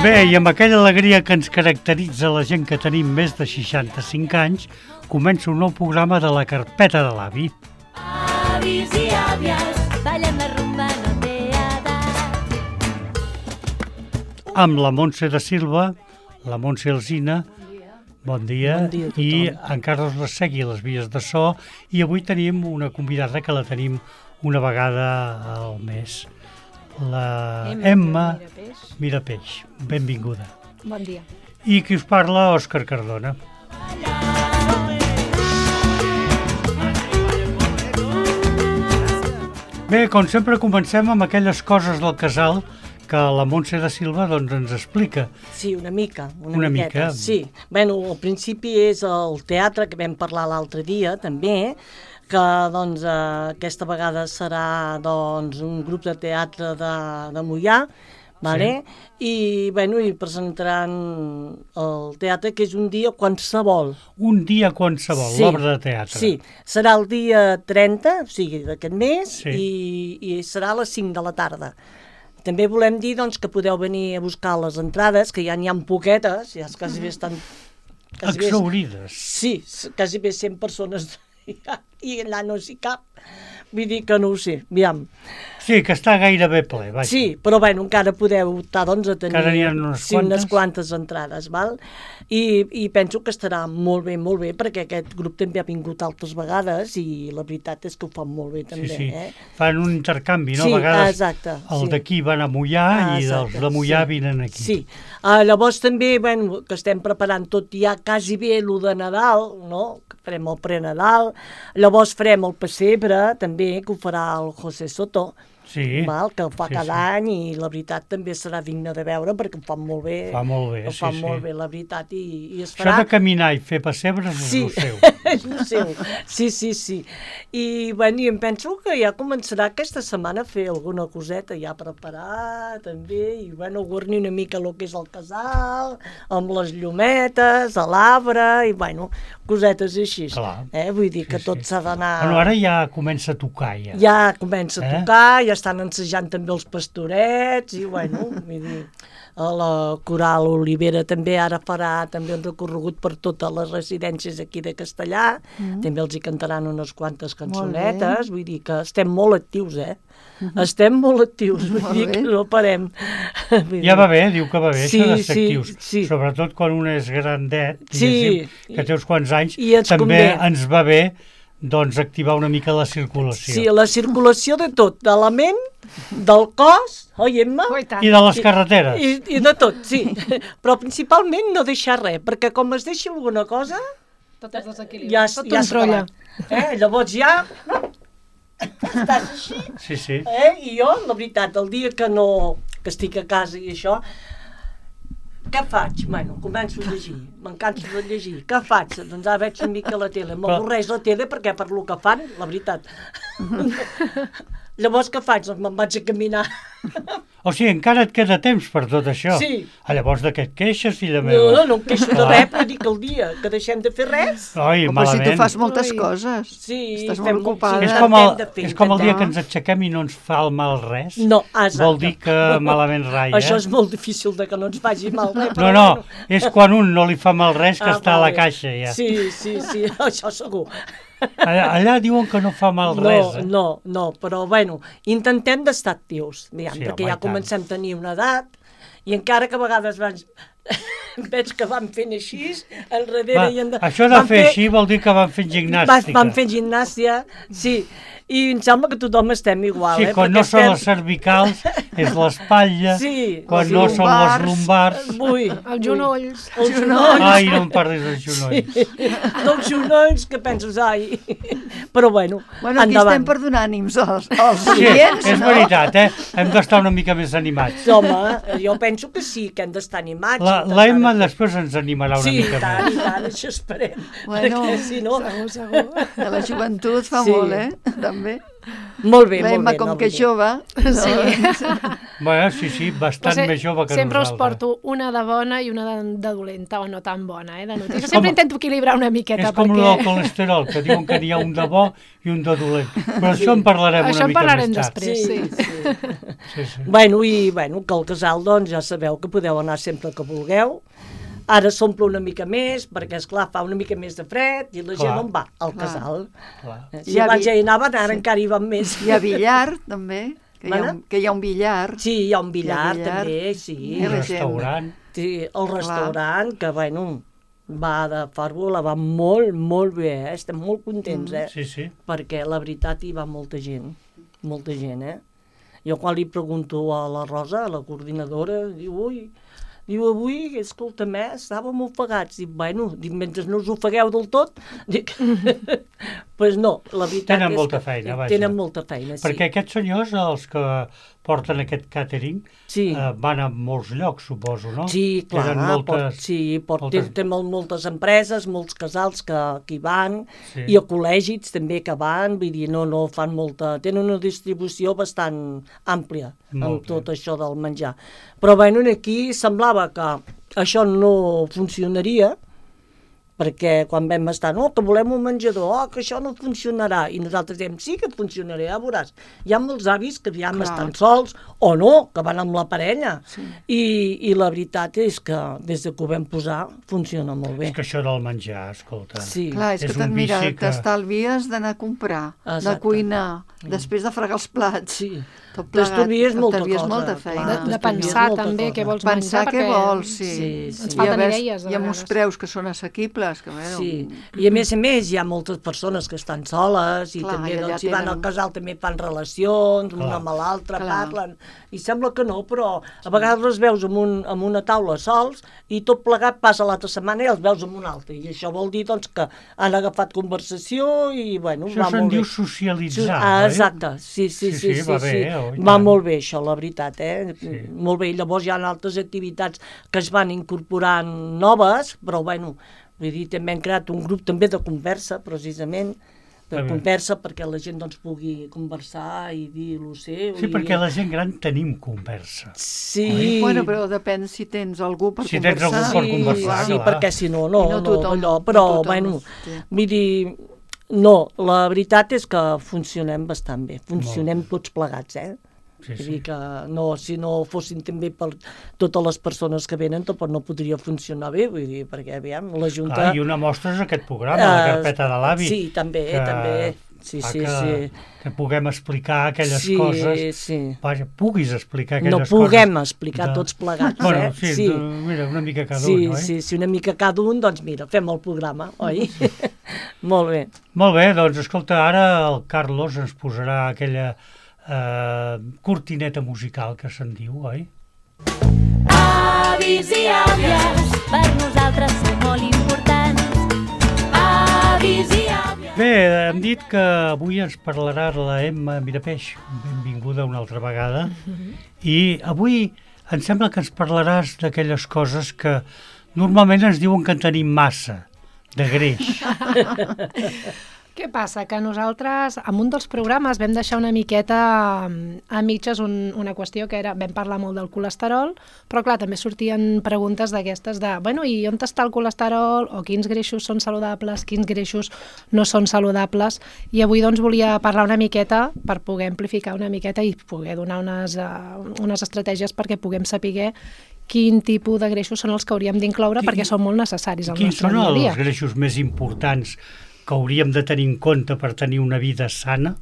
Bé, i amb aquella alegria que ens caracteritza la gent que tenim més de 65 anys, comença un nou programa de la carpeta de l'avi. Avis i àvies, ballen la rumba, no té edat. Amb la Montse de Silva, la Montse Alsina, bon dia, i en Carles Ressegui, les vies de so, i avui tenim una convidada que la tenim una vegada al mes. La Emma Mirapeix. Benvinguda. Bon dia. I qui us parla, Òscar Cardona. Bé, com sempre comencem amb aquelles coses del casal que la Montse de Silva doncs, ens explica. Sí, una mica. Una mica. Sí. Bueno, al principi és el teatre que vam parlar l'altre dia, també, que doncs, aquesta vegada serà doncs, un grup de teatre de Moià, vale? Sí. I presentaran el teatre, que és un dia qualsevol. Un dia qualsevol, sí, l'obra de teatre. Sí, serà el dia 30, o sigui, d'aquest mes, sí, i serà a les 5 de la tarda. També volem dir doncs, que podeu venir a buscar les entrades, que ja n'hi ha poquetes, ja quasi bé estan... Exhaurides. Sí, quasi bé 100 persones i allà no s'hi cap. Vull dir que no ho sé, aviam. Sí, que està gairebé ple, vaja. Sí, però bueno, encara podeu optar doncs, a tenir unes quantes entrades, val? I penso que estarà molt bé, perquè aquest grup també ha vingut altres vegades i la veritat és que ho fan molt bé també. Sí. Fan un intercanvi, no? Sí, a vegades exacte. El d'aquí van a Moià i els de Moià vinen aquí. Sí, llavors també, que estem preparant tot ja quasi bé el de Nadal, no? Que farem el pre-Nadal, llavors farem el pessebre també, que ho farà el José Soto, sí, que el fa cada any, i la veritat també serà digne de veure perquè ho fan molt bé. Ho fan molt bé, la veritat, i es farà... Això de caminar i fer pessebres és el seu. És el seu, sí. I em penso que ja començarà aquesta setmana a fer alguna coseta ja preparar, també, i guarnir una mica el que és el casal, amb les llumetes, l'arbre, i cosetes així. Clar. Vull dir que tot s'ha d'anar... Ara ja comença a tocar, ja. Ja comença a tocar, ja estan ensejant també els pastorets, i vull dir, la Coral Olivera també ara farà també un recorregut per totes les residències aquí de Castellà, també els hi cantaran unes quantes cançonetes, vull dir que estem molt actius, estem molt actius, vull dir que no parem. Ja va bé, diu que va bé, això de ser actius, sobretot quan un és grandet, que té uns quants anys, també ens va bé doncs activar una mica la circulació. Sí, la circulació de tot, de la ment, del cos, oi, Emma? I de les carreteres. I de tot, sí. Però principalment no deixar res, perquè com es deixi alguna cosa... Tot es desequilibra. Ja es trolla. Llavors ja... Estàs així. Sí. I jo, la veritat, el dia que estic a casa i això... Què faig? Començo a llegir, m'encanta de llegir. Què faig? Doncs ara veig una mica la tele. M'avorreix la tele perquè per lo que fan, la veritat. Llavors què faig? Doncs me'n vaig a caminar. O sigui, encara et queda temps per tot això. Sí. Llavors de què et queixes, filla meva? No em queixo de res, però dic el dia que deixem de fer res. Oi, però malament. si tu fas moltes coses. Sí, estàs molt ocupada. És com el dia que ens aixequem i no ens fa el mal res. No, exacte. Vol dir que malament rai, Això és molt difícil de que no ens faci mal res. No, és quan un no li fa mal res que està a la caixa ja. Sí, això segur. Allà diuen que no fa mal res. No, però intentem d'estar actius, perquè ja comencem a tenir una edat, i encara que a vegades veig que van fent així, enrere i endarrere. Això de fer així vol dir que van fent gimnàstica. Van fent gimnàstica, sí. I em sembla que tothom estem igual. Sí, quan no són les cervicals, és l'espatlla, quan no són les lumbars... Els genolls. Ai, no em parlis dels genolls. Dels genolls, que penses, ai... Però endavant. Aquí estem per donar ànims als clients, és veritat, hem d'estar una mica més animats. Home, jo penso que sí, que hem d'estar animats. La Emma després ens animarà una mica més. Sí, i tant, això esperem. Perquè si no... Segur. De la joventut fa molt, també. Molt bé, L'Emma, com que és jove... Bueno, sí, bastant més jove que sempre nosaltres. us porto una de bona i una de dolenta, o no tan bona, de notícia. Sempre intento equilibrar una miqueta. És com el colesterol, que diuen que n'hi ha un de bo i un de dolent. Però això en parlarem una mica més tard. Després, sí. Sí. Bueno, que el casal, doncs, ja sabeu que podeu anar sempre que vulgueu. Ara s'omple una mica més, perquè, esclar, fa una mica més de fred i la gent on va? Al casal. Si abans ja hi anaven, ara encara hi van més. Hi ha billar, també, que hi ha un billar. Sí, hi ha un billar, també, sí. El restaurant. Sí, el restaurant, que, bueno, va de Fàrbola, va molt, molt bé, estem molt contents, Sí. Perquè, la veritat, hi va molta gent, Jo quan li pregunto a la Rosa, a la coordinadora, diu, avui, escolta'm, estàvem ofegats. Dic, mentre no us ofegueu del tot, pues no, la veritat tenen és molta que feina, vaja. tenen molta feina, sí. Perquè aquests senyors, els que porten aquest càtering, van a molts llocs, suposo, no? Sí, clar, té moltes empreses, molts casals que hi van, i a col·legis també que van, vull dir, no fan molta... Tenen una distribució bastant àmplia amb tot això del menjar. Però, aquí semblava que això no funcionaria, perquè quan vam estar, que volem un menjador, que això no funcionarà, i nosaltres diem, sí que funcionarà, ja veuràs. Hi ha molts avis que ja estan sols, o no, que van amb la parella, i la veritat és que des que ho vam posar funciona molt bé. És que això del menjar, escolta... Clar, és que mira, t'estalvies d'anar a comprar, de cuinar, després de fregar els plats. T'estalvies molta feina. De pensar també què vols menjar. Pensar què vols, ens falten idees. Hi ha uns preus que són assequibles. I a més hi ha moltes persones que estan soles i també si van al casal també fan relacions, una amb l'altra, parlen, i sembla que no, però a vegades els veus en una taula sols i tot plegat passa l'altra setmana i els veus en una altra, i això vol dir que han agafat conversació i bueno, va molt bé. Això se'n diu socialitzar, exacte, sí, va molt bé això, la veritat, molt bé, i llavors hi ha altres activitats que es van incorporant noves, però bueno, vull dir, també hem creat un grup també de conversa, precisament, conversa perquè la gent pugui conversar i dir el seu. Sí, perquè la gent gran tenim conversa. Sí. Bueno, però depèn si tens algú per conversar. Si tens algú per conversar, sí, perquè si no, però, bueno, vull dir, no, la veritat és que funcionem bastant bé, funcionem tots plegats, Vull dir que si no fossin també per totes les persones que venen, tampoc no podria funcionar bé, vull dir, perquè aviam, la Junta... I una mostra és aquest programa, la carpeta de l'avi. Sí, també. Sí. Que puguem explicar aquelles coses. Vaja, puguis explicar aquelles coses. No puguem explicar tots plegats, Bueno, sí, mira, una mica cada un, oi? Sí, una mica cada un, doncs mira, fem el programa, oi? Molt bé. Molt bé, doncs escolta, ara el Carlos ens posarà aquella cortineta musical que se'n diu, oi? Avis i àvies, per nosaltres sou molt importants. Avis i àvies... Bé, hem dit que avui ens parlarà la Emma Mirapeix, benvinguda una altra vegada, i avui em sembla que ens parlaràs d'aquelles coses que normalment ens diuen que en tenim massa, de greix. Què passa? Que nosaltres, en un dels programes, vam deixar una miqueta a mitges una qüestió que era, vam parlar molt del colesterol, però clar, també sortien preguntes d'aquestes de, bueno, i on està el colesterol, o quins greixos són saludables, quins greixos no són saludables, i avui doncs volia parlar una miqueta per poder amplificar una miqueta i poder donar unes estratègies perquè puguem saber quin tipus de greixos són els que hauríem d'incloure perquè són molt necessaris al nostre dia a dia. Quins són els greixos més importants que hauríem de tenir en compte per tenir una vida sana?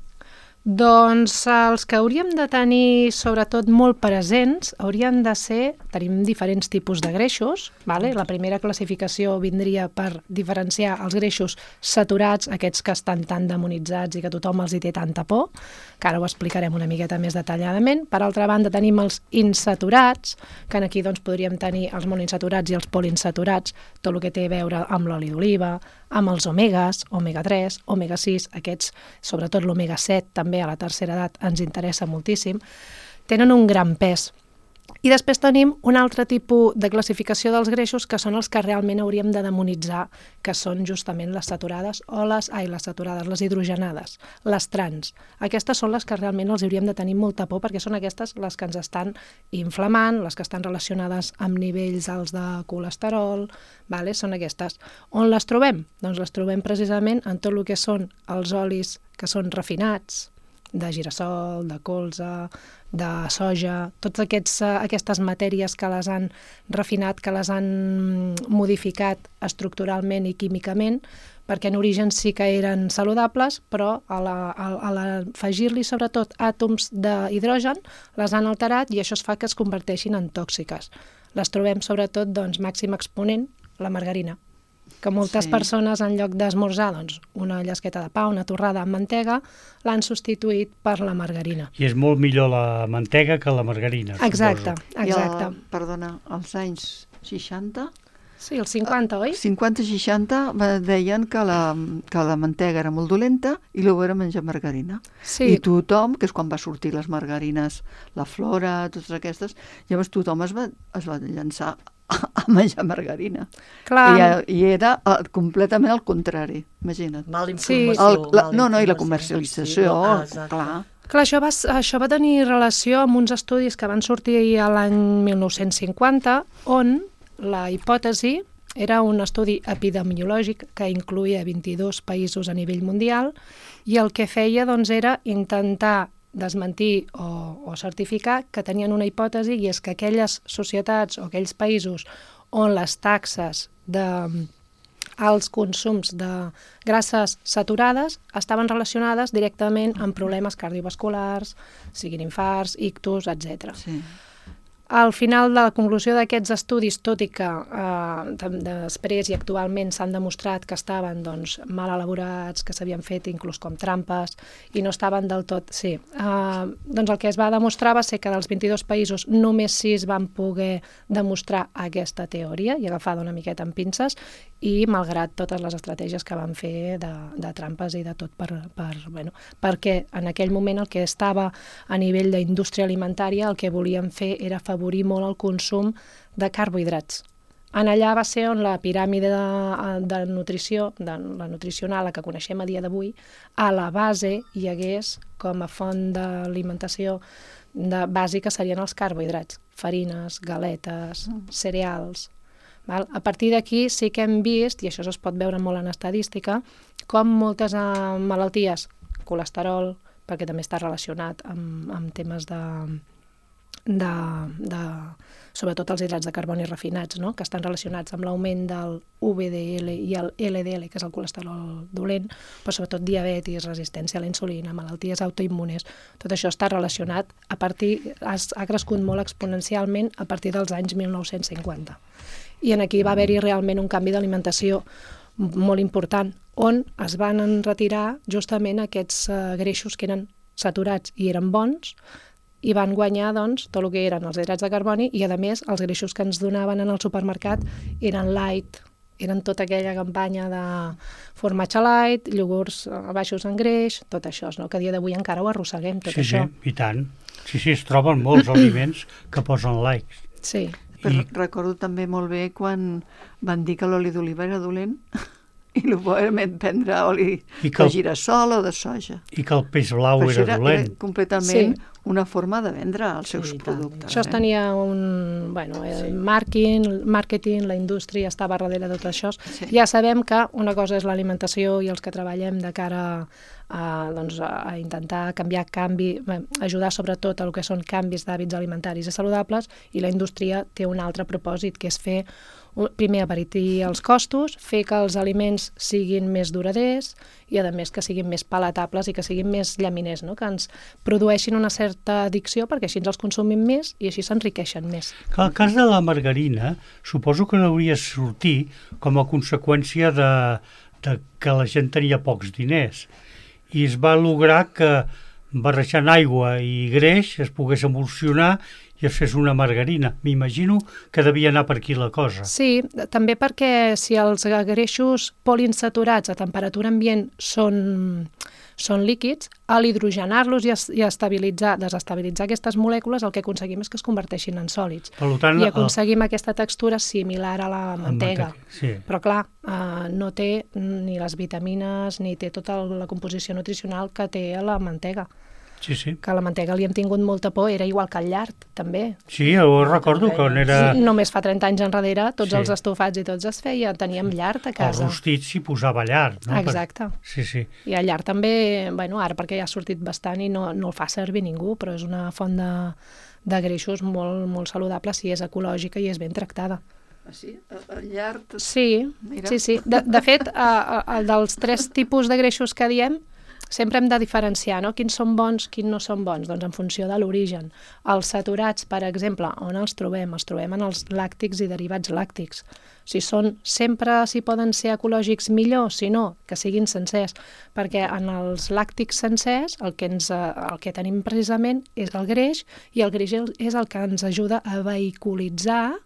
Doncs els que hauríem de tenir sobretot molt presents haurien de ser, tenim diferents tipus de greixos, vale? La primera classificació vindria per diferenciar els greixos saturats, aquests que estan tan demonitzats i que tothom els hi té tanta por, que ara ho explicarem una miqueta més detalladament. Per altra banda tenim els insaturats, que aquí doncs podríem tenir els monoinsaturats i els poliinsaturats, tot el que té a veure amb l'oli d'oliva, amb els omegas, omega 3, omega 6, aquests, sobretot l'omega 7, també a la tercera edat ens interessa moltíssim, tenen un gran pes. I després tenim un altre tipus de classificació dels greixos que són els que realment hauríem de demonitzar, que són justament les saturades o les hidrogenades, les trans. Aquestes són les que realment els hauríem de tenir molta por perquè són aquestes les que ens estan inflamant, les que estan relacionades amb nivells alts de colesterol, vale? Són aquestes. On les trobem? Doncs les trobem precisament en tot el que són els olis que són refinats, de girassol, de colza, de soja, totes aquestes matèries que les han refinat, que les han modificat estructuralment i químicament, perquè en origen sí que eren saludables, però a l'afegir-li sobretot àtoms d'hidrogen les han alterat i això es fa que es converteixin en tòxiques. Les trobem sobretot, doncs, màxim exponent, la margarina, que moltes persones en lloc d'esmorzar doncs, una llesqueta de pa, una torrada amb mantega, l'han substituït per la margarina. I és molt millor la mantega que la margarina, exacte, suposo. Exacte. Perdona, als anys 60... Sí, els 50, oi? 50-60 deien que la mantega era molt dolenta i luego era menjar margarina. Sí. I tothom, que és quan va sortir les margarines, la Flora, totes aquestes, llavors tothom es va llançar a menjar margarina. Clar. I era completament al contrari, imagina't. Mal informació. I la comercialització, clar. Clar, això va tenir relació amb uns estudis que van sortir a l'any 1950, on la hipòtesi era un estudi epidemiològic que incloïa 22 països a nivell mundial i el que feia doncs, era intentar desmentir o certificar que tenien una hipòtesi i és que aquelles societats o aquells països on les taxes als consums de grasses saturades estaven relacionades directament amb problemes cardiovasculars, siguin infarts, ictus, etc. Sí. Al final de la conclusió d'aquests estudis, tot i que després i actualment s'han demostrat que estaven doncs, mal elaborats, que s'havien fet inclús com trampes i no estaven del tot... Sí, doncs el que es va demostrar va ser que dels 22 països només 6 van poder demostrar aquesta teoria i agafar una miqueta amb pinces i malgrat totes les estratègies que van fer de trampes i de tot perquè en aquell moment el que estava a nivell d'indústria alimentària el que volien fer era afavorir molt el consum de carbohidrats. En allà va ser on la piràmide de nutrició, de la nutricional, la que coneixem a dia d'avui, a la base hi hagués com a font d'alimentació bàsica serien els carbohidrats, farines, galetes, cereals. A partir d'aquí sí que hem vist, i això es pot veure molt en estadística, com moltes malalties, colesterol, perquè també està relacionat amb temes sobretot els hidrats de carboni refinats, no? Que estan relacionats amb l'augment del VDL i el LDL, que és el colesterol dolent, però sobretot diabetis, resistència a la insulina, malalties autoimmunes, tot això està relacionat ha crescut molt exponencialment a partir dels anys 1950. I aquí va haver-hi realment un canvi d'alimentació molt important, on es van retirar justament aquests greixos que eren saturats i eren bons, i van guanyar doncs, tot el que eren els hidrats de carboni i, a més, els greixos que ens donaven en el supermercat eren light, eren tota aquella campanya de formatge light, iogurts baixos en greix, tot això, no? Que a dia d'avui encara ho arrosseguem, tot això. Sí, i tant. Sí, es troben molts aliments que posen likes. Sí. Però recordo també molt bé quan van dir que l'oli d'oliva era dolent i el podem prendre oli de girassol o de soja. I que el peix blau era dolent. Era completament una forma de vendre els seus productes. Això tenia un màrqueting, la indústria estava darrere de tot això. Sí. Ja sabem que una cosa és l'alimentació i els que treballem de cara a intentar ajudar sobretot a el que són canvis d'hàbits alimentaris i saludables, i la indústria té un altre propòsit, que és fer primer abaratir els costos, fer que els aliments siguin més duraders i, a més, que siguin més palatables i que siguin més llaminers, no? Que ens produeixin una certa addicció perquè així ens els consumim més i així s'enriqueixen més. El cas de la margarina suposo que no hauria de sortir com a conseqüència de que la gent tenia pocs diners i es va lograr que barrejant aigua i greix es pogués emulsionar i es fes una margarina. M'imagino que devia anar per aquí la cosa. Sí, també perquè si els greixos poliinsaturats a temperatura ambient són líquids, a l'hidrogenar-los i desestabilitzar aquestes molècules, el que aconseguim és que es converteixin en sòlids. Per tant, I aconseguim aquesta textura similar a la mantega. Sí. Però clar, no té ni les vitamines ni té tota la composició nutricional que té a la mantega. Sí, sí. Que a la mantega li hem tingut molta por, era igual que el llard, també. Sí, jo recordo quan era... Només fa 30 anys enrere, tots Sí. els estofats i tots es feia, teníem llard a El casa. rostit s'hi posava llard, no? Exacte. Sí, sí. I el llard també, bueno, ara perquè ja ha sortit bastant i no el fa servir ningú, però és una font de greixos molt, molt saludable si és ecològica i és ben tractada. Sí, el llard... Sí, Mira. sí. De fet, dels 3 tipus de greixos que diem, sempre hem de diferenciar, no? Quins són bons, quins no són bons, doncs en funció de l'origen. Els saturats, per exemple, on els trobem? Els trobem en els làctics i derivats làctics. Sempre si poden ser ecològics, millor, si no, que siguin sencers, perquè en els làctics sencers el que tenim precisament és el greix, i el greix és el que ens ajuda a vehiculitzar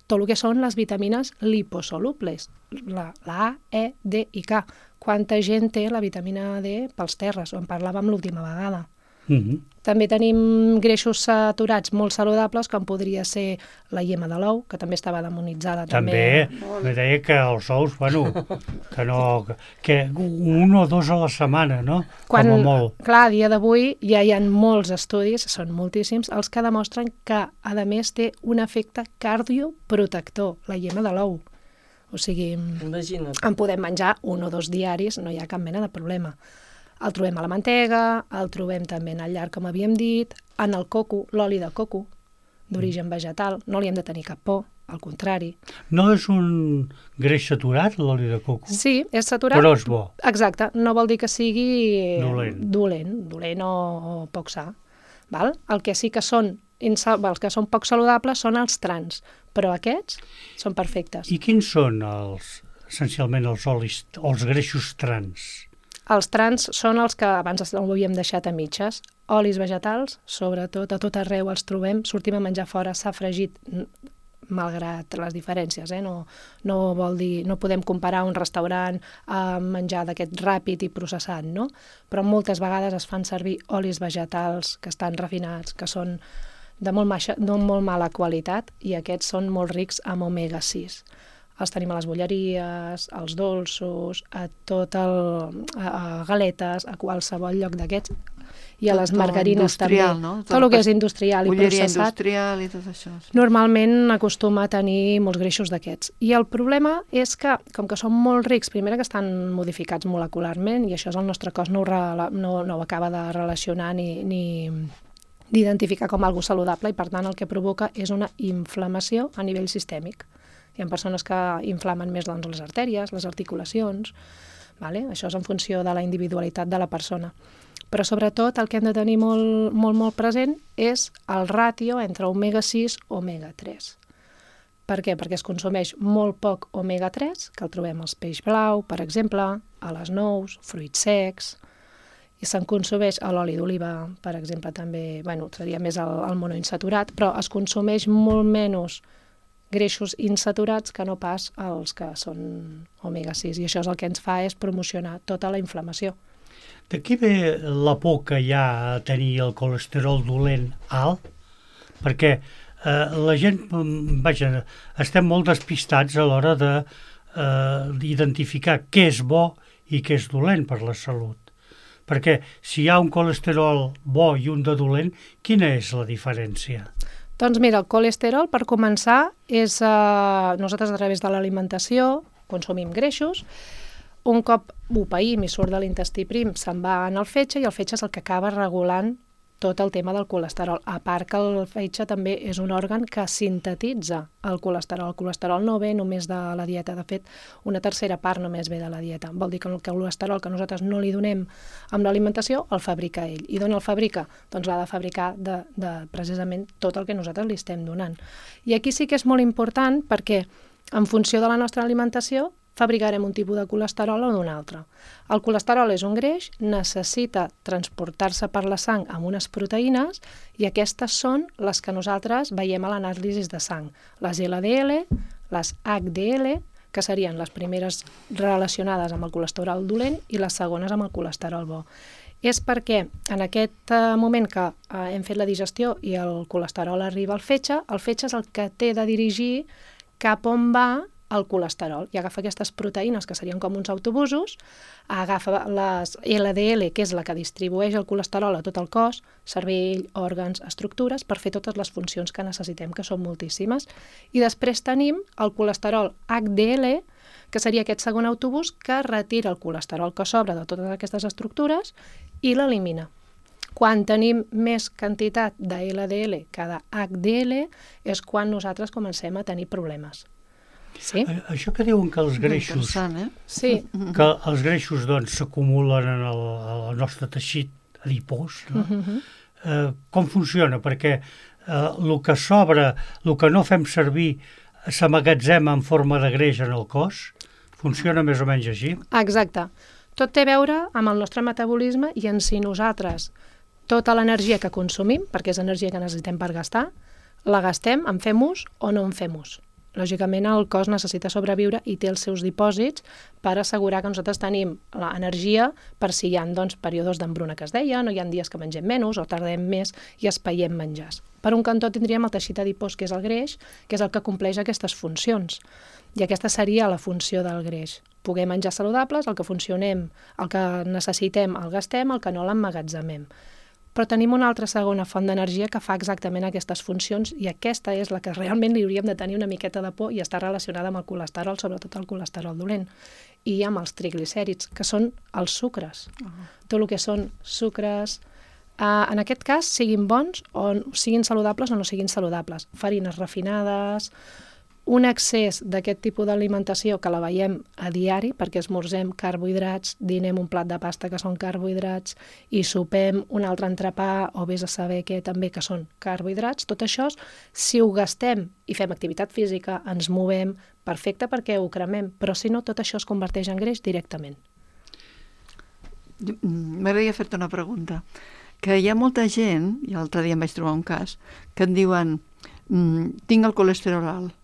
tot el que són les vitamines liposolubles, la A, E, D i K. Quanta gent té la vitamina D pels terres, en parlàvem l'última vegada. També tenim greixos saturats molt saludables, com podria ser la iema de l'ou, que també estava demonitzada. També me deia que els ous, bueno, que 1 o 2 a la setmana, no? Com a molt. Clar, a dia d'avui ja hi ha molts estudis, són moltíssims, els que demostren que, a més, té un efecte cardioprotector, la iema de l'ou. O sigui, Imagina't. en podem menjar 1 o 2 diaris, no hi ha cap mena de problema. El trobem a la mantega, el trobem també en el llard, com havíem dit, en el coco, l'oli de coco, d'origen vegetal, no li hem de tenir cap por, al contrari. No és un greix saturat, l'oli de coco? Sí, és saturat. Però és bo. Exacte, no vol dir que sigui Dolent o poc sa. Val? El que sí que són els que són poc saludables són els trans, però aquests són perfectes. I quins són essencialment els olis, els greixos trans? Els trans són els que abans ho havíem deixat a mitges. Olis vegetals, sobretot, a tot arreu els trobem. Sortim a menjar fora, s'ha fregit, malgrat les diferències. No vol dir, no podem comparar un restaurant a menjar d'aquest ràpid i processat, no? Però moltes vegades es fan servir olis vegetals que estan refinats, que són de molt mala qualitat, i aquests són molt rics en omega-6. Els tenim a les bolleries, als dolços, a galetes, a qualsevol lloc d'aquests, i a les margarines també. No? Tot el que és industrial i bolleria processat. industrial i tot això. Sí. Normalment acostuma a tenir molts greixos d'aquests. I el problema és que, com que són molt rics, primera que estan modificats molecularment, i això és el nostre cos no ho acaba de relacionar ni d'identificar com algo saludable, i per tant el que provoca és una inflamació a nivell sistèmic. Hi ha persones que inflamen més les artèries, les articulacions, vale? Això és en funció de la individualitat de la persona. Però sobretot el que hem de tenir molt present és el ràtio entre omega-6 i omega-3. Per què? Perquè es consumeix molt poc omega-3, que el trobem als peix blau, per exemple, a les nous, fruits secs, i se'n consumeix a l'oli d'oliva, per exemple, també, seria més el monoinsaturat, però es consumeix molt menys greixos insaturats que no pas els que són omega-6, i això és el que ens fa és promocionar tota la inflamació. D'aquí ve la por que hi ha a tenir el colesterol dolent alt? Perquè la gent, estem molt despistats a l'hora d'identificar què és bo i què és dolent per la salut. Perquè si hi ha un colesterol bo i un de dolent, quina és la diferència? Doncs mira, el colesterol, per començar, és nosaltres a través de l'alimentació consumim greixos. Un cop ho païm i surt de l'intestí prim, se'n va en el fetge, i el fetge és el que acaba regulant tot el tema del colesterol. A part que el fetge també és un òrgan que sintetitza el colesterol. El colesterol no ve només de la dieta, de fet, una tercera part només ve de la dieta. Vol dir que el colesterol que nosaltres no li donem amb l'alimentació, el fabrica ell. I d'on el fabrica? Doncs l'ha de fabricar de precisament tot el que nosaltres li estem donant. I aquí sí que és molt important perquè, en funció de la nostra alimentació, fabricarem un tipus de colesterol o d'un altre. El colesterol és un greix, necessita transportar-se per la sang amb unes proteïnes i aquestes són les que nosaltres veiem a l'anàlisi de sang. Les LDL, les HDL, que serien les primeres relacionades amb el colesterol dolent i les segones amb el colesterol bo. És perquè en aquest moment que hem fet la digestió i el colesterol arriba al fetge és el que té de dirigir cap on va el colesterol i agafa aquestes proteïnes que serien com uns autobusos, agafa les LDL, que és la que distribueix el colesterol a tot el cos, cervell, òrgans, estructures, per fer totes les funcions que necessitem, que són moltíssimes. I després tenim el colesterol HDL, que seria aquest segon autobús que retira el colesterol que sobra de totes aquestes estructures i l'elimina. Quan tenim més quantitat de LDL que de HDL és quan nosaltres comencem a tenir problemes. Sí? Això que diuen que els greixos, sí. que els greixos doncs, s'acumulen en el nostre teixit adipós, no? Com funciona? Perquè el que sobra, el que no fem servir, s'amagatzema en forma de greix en el cos? Funciona més o menys així? Exacte. Tot té a veure amb el nostre metabolisme i en si nosaltres tota l'energia que consumim, perquè és energia que necessitem per gastar, la gastem, en fem ús o no en fem ús. Lògicament, el cos necessita sobreviure i té els seus dipòsits per assegurar que nosaltres tenim l'energia per si hi ha períodes d'embruna que es deia, no hi ha dies que mengem menys o tardem més i espaiem menjars. Per un cantó tindríem el teixit adipós, que és el greix, que és el que compleix aquestes funcions. I aquesta seria la funció del greix. Poder menjar saludables, el que funcionem, el que necessitem el gastem, el que no l'emmagatzemem. Però tenim una altra segona font d'energia que fa exactament aquestes funcions i aquesta és la que realment li hauríem de tenir una miqueta de por i està relacionada amb el colesterol, sobretot el colesterol dolent, i amb els triglicèrids, que són els sucres. Tot el que són sucres, en aquest cas, siguin bons o siguin saludables o no siguin saludables. Farines refinades, un excés d'aquest tipus d'alimentació que la veiem a diari, perquè esmorzem carbohidrats, dinem un plat de pasta que són carbohidrats i sopem un altre entrepà o vés a saber què també que són carbohidrats, tot això, si ho gastem i fem activitat física, ens movem, perfecte perquè ho cremem, però si no, tot això es converteix en greix directament. M'agradaria fer-te una pregunta. Que hi ha molta gent, i l'altre dia em vaig trobar un cas, que et diuen tinc el colesterol alt,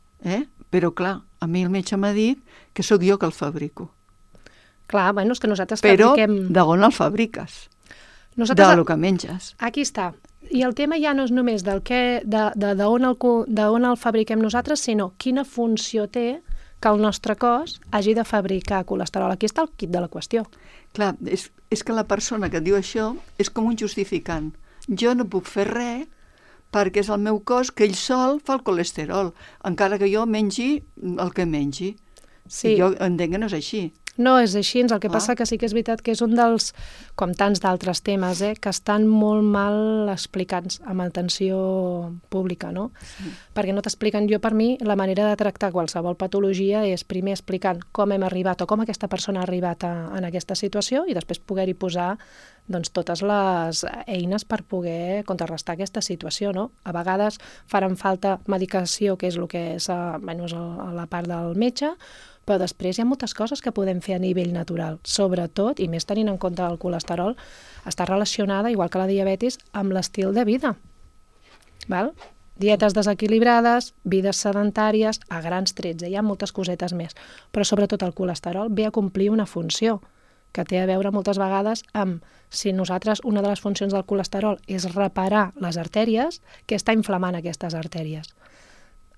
però clar, a mi el metge m'ha dit que sóc jo que el fabrico. Clar, bueno, és que nosaltres fabriquem... Però d'on el fabriques? Del que menges. Aquí està. I el tema ja no és només d'on el fabriquem nosaltres, sinó quina funció té que el nostre cos hagi de fabricar colesterol. Aquí està el quid de la qüestió. Clar, és que la persona que et diu això és com un justificant. Jo no puc fer res perquè és el meu cos que ell sol fa el colesterol, encara que jo mengi el que mengi. Sí. I jo entenc que no és així. No és així, el que passa que sí que és veritat que és un dels, com tants d'altres temes, que estan molt mal explicats amb atenció pública, no? Sí. Perquè no t'expliquen, per mi, la manera de tractar qualsevol patologia és primer explicant com hem arribat o com aquesta persona ha arribat en aquesta situació i després poder-hi posar totes les eines per poder contrarrestar aquesta situació, no? A vegades faran falta medicació, que és el que és la part del metge, però després hi ha moltes coses que podem fer a nivell natural, sobretot, i més tenint en compte el colesterol, està relacionada, igual que la diabetis, amb l'estil de vida. Val? Dietes desequilibrades, vides sedentàries, a grans trets, hi ha moltes cosetes més, però sobretot el colesterol ve a complir una funció que té a veure moltes vegades amb si nosaltres, una de les funcions del colesterol és reparar les artèries, què està inflamant aquestes artèries?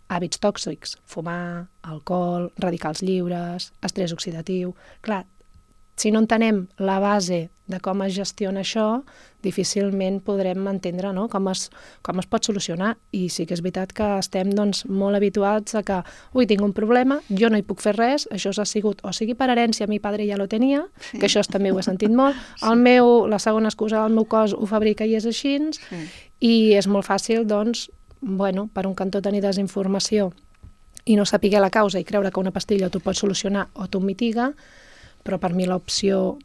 Hàbits tòxics, fumar, alcohol, radicals lliures, estrès oxidatiu... Clar, si no entenem la base de com es gestiona això, difícilment podrem entendre com es pot solucionar. I sí que és veritat que estem molt habituats a que tinc un problema, jo no hi puc fer res, això s'ha sigut, o sigui per herència, mi padre ja lo tenia, sí. Que això també ho he sentit molt, sí. La segona excusa, el meu cos ho fabrica i és així, sí. I és molt fàcil, per un cantó tenir desinformació i no saber la causa i creure que una pastilla t'ho pot solucionar o t'ho mitiga, però per mi l'opció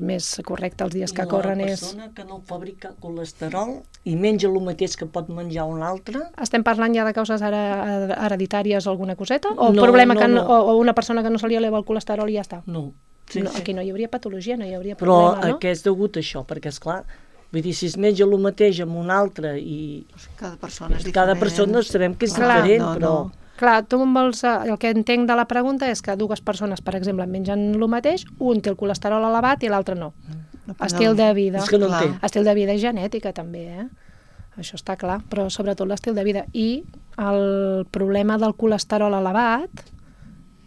més correcta els dies que corren és... La persona que no fabrica colesterol i menja el mateix que pot menjar un altre... Estem parlant ja de causes hereditàries o alguna coseta? O problema o una persona que no se li eleva el colesterol i ja està? No. Aquí no hi hauria patologia, no hi hauria problema, no? Però què és degut a això? Perquè, esclar, vull dir, si es menja el mateix amb un altre i... Cada persona és diferent. Cada persona sabem que és diferent, però... Clar, tu vols, el que entenc de la pregunta és que dues persones, per exemple, mengen el mateix, un té el colesterol elevat i l'altre no. Estil de vida. És que no té. Estil de vida i genètica, també, Això està clar, però sobretot l'estil de vida. I el problema del colesterol elevat,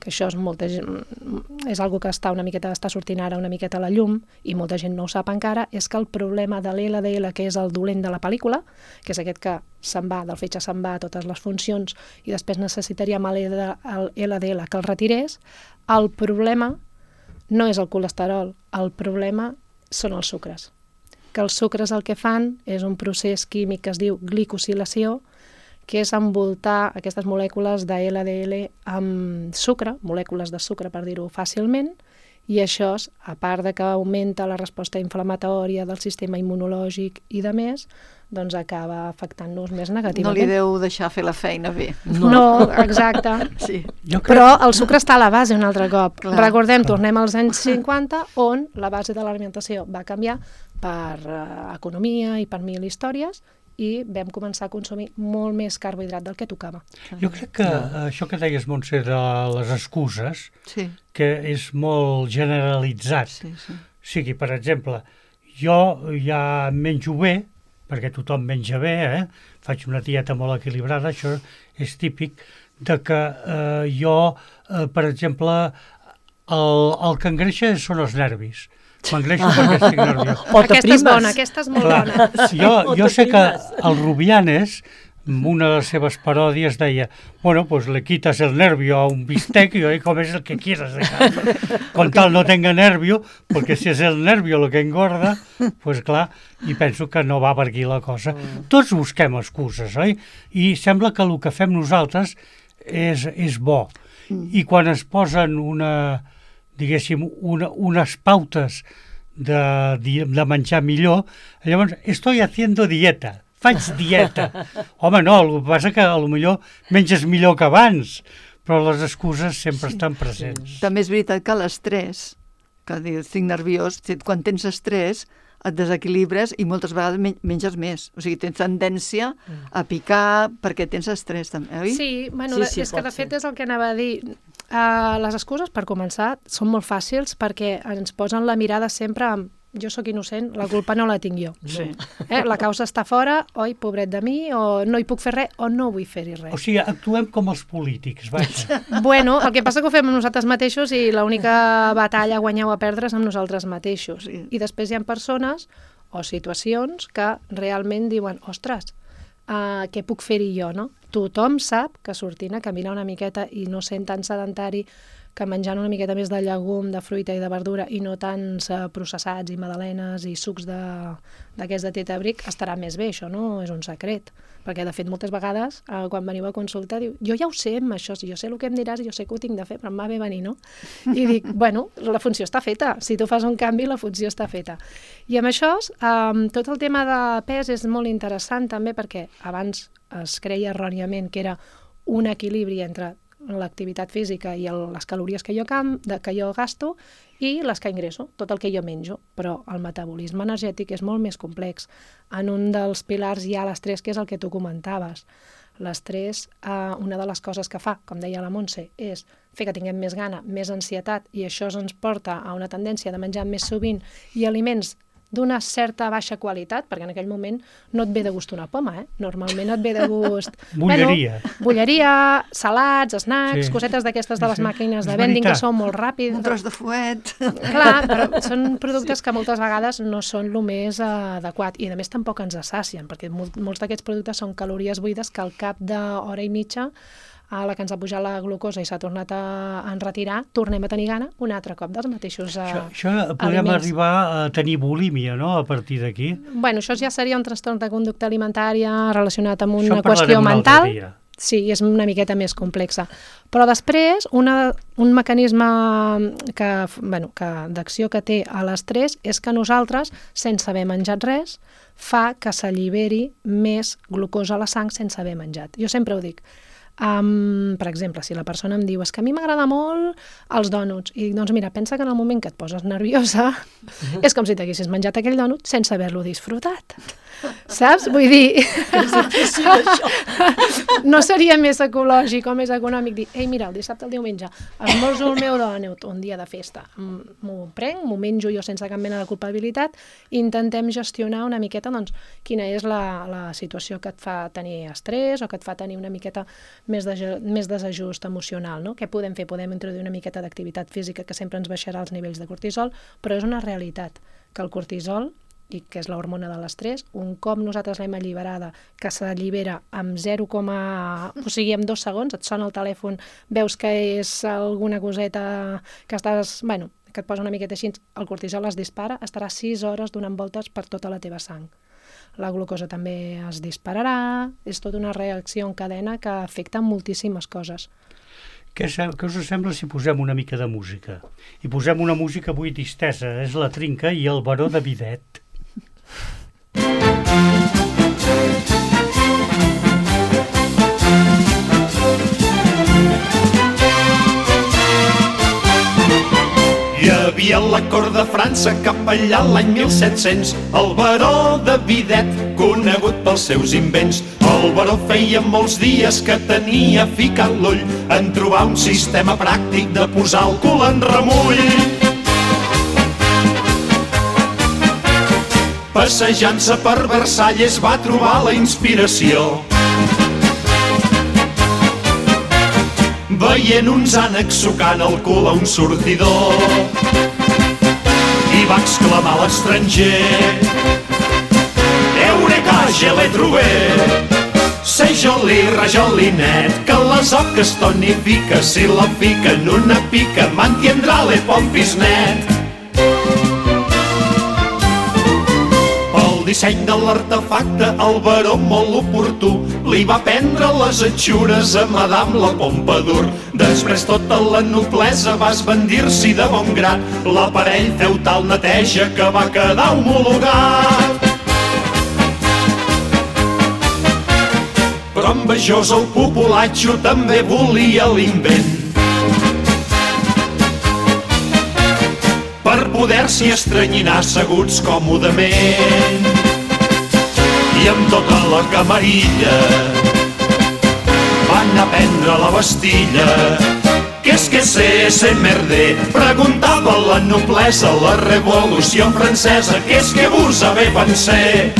que això és algo que està sortint ara una miqueta a la llum i molta gent no ho sap encara, és que el problema de l'LDL, que és el dolent de la pel·lícula, que és aquest que se'n va, del fetge se'n va a totes les funcions i després necessitaríem el LDL que el retirés, el problema no és el colesterol, el problema són els sucres. Que els sucres el que fan és un procés químic que es diu glicosilació, que és envoltar aquestes molècules de LDL amb sucre, molècules de sucre per dir-ho fàcilment, i això, a part de que augmenta la resposta inflamatòria del sistema immunològic i de més, doncs acaba afectant-nos més negativament. No li deu deixar fer la feina bé. No, exacte. Sí. Però el sucre està a la base un altre cop. Clar. Recordem, tornem als anys 50, on la base de l'alimentació va canviar per economia i per mil històries, i vam començar a consumir molt més carbohidrat del que tocava. Jo crec que això que deies, Montse, de les excuses, sí, que és molt generalitzat. sí, sí. O sigui, per exemple, jo ja menjo bé, perquè tothom menja bé, faig una dieta molt equilibrada, això és típic, de que jo, per exemple, el que engreixa són els nervis. M'engreixo perquè estic nerviós. Aquesta és bona, aquesta és molt bona. Jo sé que el Rubianes, en una de les seves paròdies, deia, bueno, pues le quitas el nervio a un bistec y hoy comes el que quieras de carne. Con tal no tenga nervio, porque si és el nervio el que engorda, pues clar, i penso que no va per aquí la cosa. Tots busquem excuses, oi? I sembla que el que fem nosaltres és bo. I quan es posen diguéssim, unes pautes de menjar millor, llavors, estoy haciendo dieta, faig dieta. Home, no, el que passa que potser menges millor que abans, però les excuses sempre estan presents. També és veritat que l'estrès, que dius, estic nerviós, quan tens estrès, et desequilibres i moltes vegades menges més. O sigui, tens tendència a picar perquè tens estrès, també, oi? Sí, bueno, és que de fet és el que anava a dir. Les excuses, per començar, són molt fàcils perquè ens posen la mirada sempre amb jo sóc innocent, la culpa no la tinc jo. Sí. La causa està fora, oi, pobret de mi, o no hi puc fer res, o no vull fer-hi res. O sigui, actuem com els polítics, vaja. Bueno, el que passa que ho fem amb nosaltres mateixos i l'única batalla a guanyar o a perdre és amb nosaltres mateixos. Sí. I després hi ha persones o situacions que realment diuen, ostres, què puc fer-hi jo, no? Tothom sap que sortint a caminar una miqueta i no sent tan sedentari, que menjant una miqueta més de llegum, de fruita i de verdura i no tants processats i magdalenes i sucs d'aquests de tetabric, estarà més bé, això no és un secret. Perquè, de fet, moltes vegades, quan veniu a consulta, diu, jo ja ho sé amb això, jo sé el que em diràs i jo sé que ho tinc de fer, però em va bé venir, no? I dic, bueno, la funció està feta. Si tu fas un canvi, la funció està feta. I amb això, tot el tema de pes és molt interessant també perquè abans es creia erròniament que era un equilibri entre l'activitat física i les calories que jo gasto i les que ingresso, tot el que jo menjo. Però el metabolisme energètic és molt més complex. En un dels pilars hi ha l'estrès, que és el que tu comentaves. L'estrès, una de les coses que fa, com deia la Montse, és fer que tinguem més gana, més ansietat, i això ens porta a una tendència de menjar més sovint i aliments d'una certa baixa qualitat, perquè en aquell moment no et ve de gust una poma, Normalment et ve de gust... Bulleria. Bulleria, salats, snacks, cosetes d'aquestes de les màquines de vending que són molt ràpids. Un tros de fuet. Clar, però són productes que moltes vegades no són el més adequat i a més tampoc ens sacien, perquè molts d'aquests productes són calories buides que al cap d'hora i mitja a la que ens ha pujat la glucosa i s'ha tornat a enretirar, tornem a tenir gana un altre cop dels mateixos Això podem arribar a tenir bulímia, no?, a partir d'aquí. Bueno, això ja seria un trastorn de conducta alimentària relacionat amb una qüestió mental. Sí, és una miqueta més complexa. Però després, un mecanisme d'acció que té a l'estrès és que nosaltres, sense haver menjat res, fa que s'alliberi més glucosa a la sang sense haver menjat. Jo sempre ho dic. Per exemple, si la persona em diu és que a mi m'agrada molt els dònuts, i dic, doncs mira, pensa que en el moment que et poses nerviosa és com si t'haguessis menjat aquell dònut sense haver-lo disfrutat. Saps? Vull dir... No seria més ecològic o més econòmic dir, ei, mira, el dissabte, el diumenge, esmorzo el meu dònut, un dia de festa, m'ho prenc, m'ho menjo jo sense cap mena de culpabilitat, i intentem gestionar una miqueta, doncs, quina és la situació que et fa tenir estrès o que et fa tenir una miqueta més desajust emocional, no? Què podem fer? Podem introduir una miqueta d'activitat física que sempre ens baixarà els nivells de cortisol, però és una realitat que el cortisol, i que és l'hormona de l'estrès, un cop nosaltres l'hem alliberada, que s'allibera amb 0, o sigui, en 2 segons, et sona el telèfon, veus que és alguna coseta que estàs, bueno, que et posa una miqueta així, el cortisol es dispara, estarà 6 hores donant voltes per tota la teva sang. La glucosa també es dispararà, és tota una reacció en cadena que afecta moltíssimes coses. Què us sembla si posem una mica de música? I posem una música avui distesa, és La Trinca i el Baró de Bidet. Hi havia a la cort de França cap allà l'any 1700 el baró de Bidet, conegut pels seus invents. El baró feia molts dies que tenia ficat l'ull en trobar un sistema pràctic de posar el cul en remull. Passejant-se per Versalles va trobar la inspiració. Veient uns ànecs sucant el cul a un sortidor, i va exclamar a l'estranger: Eureka, je l'he trobat! C'est joli, rajolinet, que les oques tonifica, si la fica en una pica, mantindrà les pompis net. El disseny de l'artefacte, el baró molt oportú, li va prendre les atxures a Madame la Pompadour. Després tota la noblesa va esbandir-s'hi de bon grat, l'aparell feu tal neteja que va quedar homologat. Però envejós el populatxo també volia l'invent, per poder-s'hi estranyinar asseguts còmodament. I amb tota la camarilla van a prendre la Bastilla. Qu'est-ce que c'est merder? Preguntava la noblesa, la revolució francesa. Qu'est-ce que vous avez pensé?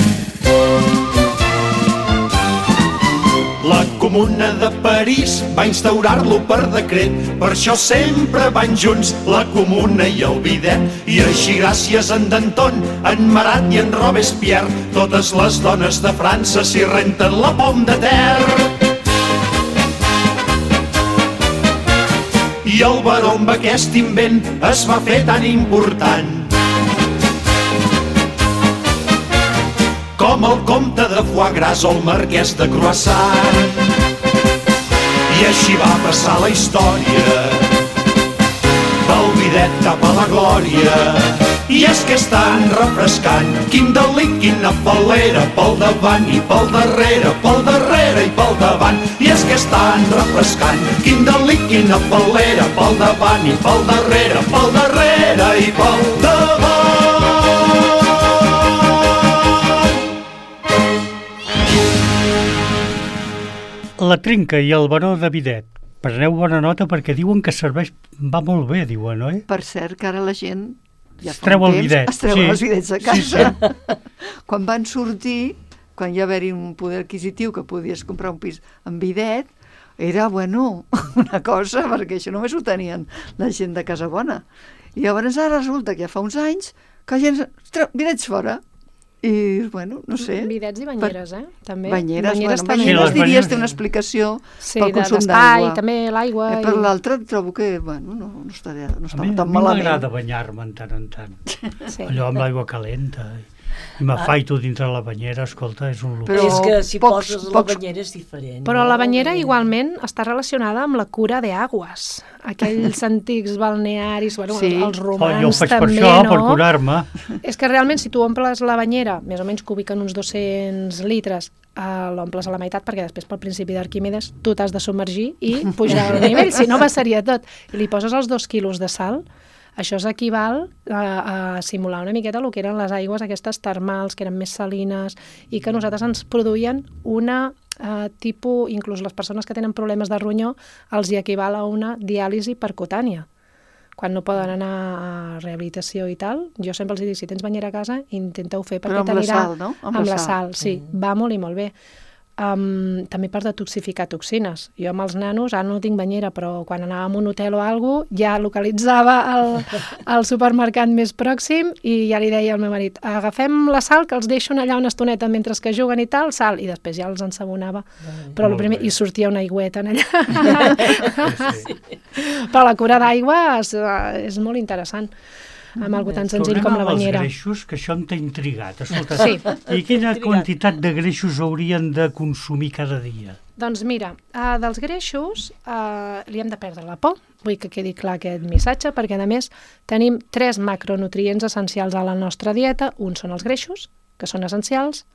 La Comuna de París va instaurar-lo per decret, per això sempre van junts la Comuna i el Bidet. I així gràcies a en Danton, en Marat i en Robespierre, totes les dones de França s'hi renten la pom de terra. I el baró amb aquest invent es va fer tan important com el comte de Foie Gras o el marquès de Croissant. I així va passar la història del Bidet cap a la glòria. I és que és tan refrescant, quin delit, quina fal·lera, pel davant i pel darrere i pel davant. I és que és tan refrescant, quin delit, quina fal·lera, pel davant i pel darrere i pel davant. La Trinca i el Baró de Bidet. Preneu bona nota perquè diuen que serveix, va molt bé, diuen, oi? Per cert, que ara la gent ja es treu el bidet. Es treuen els bidets a casa. Sí. Quan van sortir, quan hi va haver-hi un poder adquisitiu que podies comprar un pis amb bidet, era, bueno, una cosa, perquè això només ho tenien la gent de Casa Bona. I llavors ara resulta que ja fa uns anys que la gent treu bidets fora. I, bueno, no sé... Bidets i banyeres, també. Banyeres, banyeres diries té una explicació pel consum d'aigua. Sí, també l'aigua. Per l'altre trobo que, bueno, no està tan malament. A mi m'agrada banyar-me en tant en tant. Sí. Allò amb l'aigua calenta. I m'afaito dintre la banyera, escolta, és un luxe. Però és que si pocs- poses la pocs- banyera és diferent. Però no? la banyera igualment està relacionada amb la cura d'aigües. Aquells antics balnearis, bueno, Sí. els Jo ho romans faig per també, això, no? per curar-me. És que realment si tu omples la banyera, més o menys cúbica en uns 200 litres, l'omples a la meitat perquè després pel principi d'Arquímedes tu t'has de submergir i pujar al nivell, si no passaria tot. I li poses els 2 quilos de sal, això s'equival a simular una miqueta el que eren les aigües aquestes termals, que eren més salines i que a nosaltres ens produïen una tipus, inclús les persones que tenen problemes de ronyó, els hi equival a una diàlisi percutània. Quan no poden anar a rehabilitació i tal, jo sempre els dic, si tens banyera a casa, intenta-ho fer perquè Però amb la t'anirà... sal, no? Amb la sal, sí, va molt i molt bé. També per detoxificar toxines. Jo amb els nanos, ara no tinc banyera, però quan anàvem a un hotel o alguna cosa, ja localitzava el supermercat més pròxim i ja li deia al meu marit, agafem la sal, que els deixo allà una estoneta mentre que juguen i tal, sal, i després ja els ensabonava. Però el primer, i sortia una aigüeta en allà. Sí. Però la cura d'aigua és molt interessant, amb algo tan senzill com la banyera. Els greixos, que això em té intrigat. Escolta, Sí. I quina quantitat de greixos haurien de consumir cada dia? Doncs mira, dels greixos li hem de perdre la por, vull que quedi clar aquest missatge, perquè a més tenim 3 macronutrients essencials a la nostra dieta. Un són els greixos, que són essencials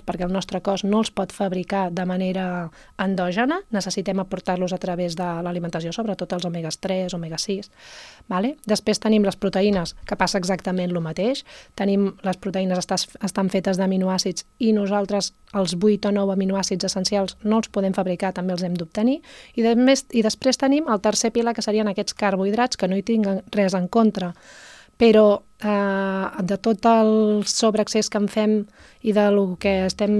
perquè el nostre cos no els pot fabricar de manera endògena, necessitem aportar-los a través de l'alimentació, sobretot els omegas 3, omega 6. Vale? Després tenim les proteïnes, que passa exactament el mateix. Les proteïnes estan fetes d'aminoàcids i nosaltres els 8 o 9 aminoàcids essencials no els podem fabricar, també els hem d'obtenir. I després tenim el tercer pilar, que serien aquests carbohidrats, que no hi tinc res en contra, però de tot el sobreaccés que en fem i del que estem,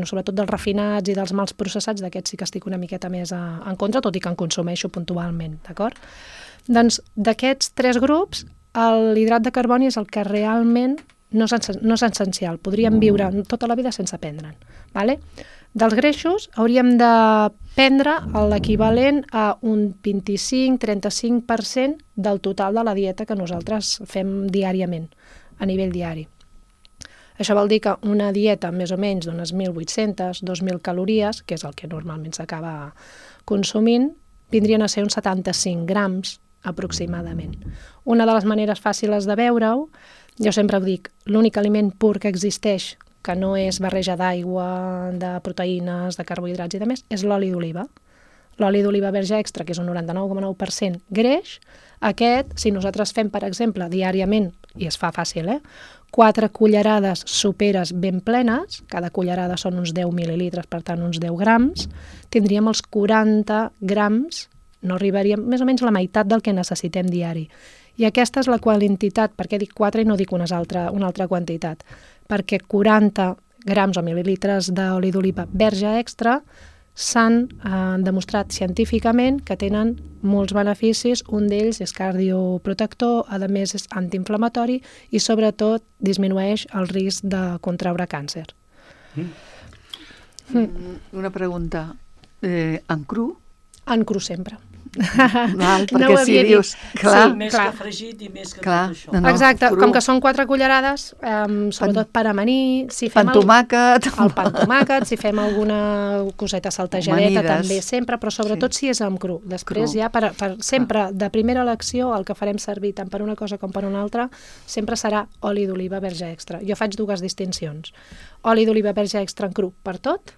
sobretot dels refinats i dels mals processats, d'aquests sí que estic una miqueta més en contra, tot i que en consumeixo puntualment, d'acord? Doncs d'aquests 3 grups, l'hidrat de carboni és el que realment no és essencial. Podríem viure tota la vida sense prendre'n. Vale? Dels greixos hauríem de prendre l'equivalent a un 25-35% del total de la dieta que nosaltres fem diàriament, a nivell diari. Això vol dir que una dieta més o menys d'unes 1.800-2.000 calories, que és el que normalment s'acaba consumint, vindrien a ser uns 75 grams aproximadament. Una de les maneres fàcils de veure-ho, jo sempre ho dic, l'únic aliment pur que existeix, que no és barreja d'aigua, de proteïnes, de carbohidrats i de més, és l'oli d'oliva. L'oli d'oliva verge extra, que és un 99,9% greix, aquest, si nosaltres fem, per exemple, diàriament, i es fa fàcil, 4 cullerades soperes ben plenes, cada cullerada són uns 10 mil·lilitres, per tant uns 10 grams, tindríem els 40 grams, no arribaríem més o menys la meitat del que necessitem diari. I aquesta és la quantitat, perquè dic 4 i no dic una altra quantitat, perquè 40 grams o mil·lilitres d'oli d'oliva verge extra s'han demostrat científicament que tenen molts beneficis. Un d'ells és cardioprotector, a més és antiinflamatori i sobretot disminueix el risc de contraure càncer. Una pregunta. En cru? En cru sempre. Val, No ho perquè si havia dius... dit. Clar, Sí, Més clar. que fregit i més que clar. tot això. No, Exacte, cru. com que són 4 cullerades, sobretot per amanir, si fem Pa amb tomàquet. el pa amb tomàquet, si fem alguna coseta saltejadeta Amanides. també sempre, però sobretot si és amb cru. Després Cru. ja per sempre, de primera elecció, el que farem servir tant per una cosa com per una altra, sempre serà oli d'oliva verge extra. Jo faig 2 distincions. Oli d'oliva verge extra en cru per tot,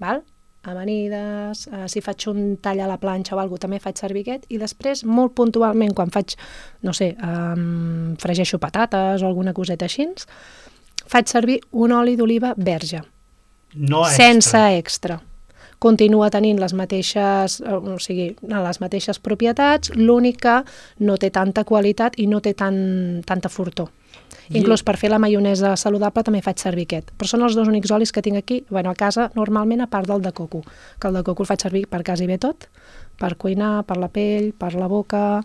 val? Amanides, si faig un tall a la planxa o alguna cosa, també faig servir aquest, i després, molt puntualment, quan faig, no sé, fregeixo patates o alguna coseta així, faig servir un oli d'oliva verge, No sense extra. Continua tenint les mateixes propietats, l'únic que no té tanta qualitat i no té tanta fortor. Inclús per fer la maionesa saludable també faig servir aquest. Però són els 2 únics olis que tinc aquí, a casa normalment, a part del de coco, que el de coco el faig servir per quasi bé tot, per cuinar, per la pell, per la boca,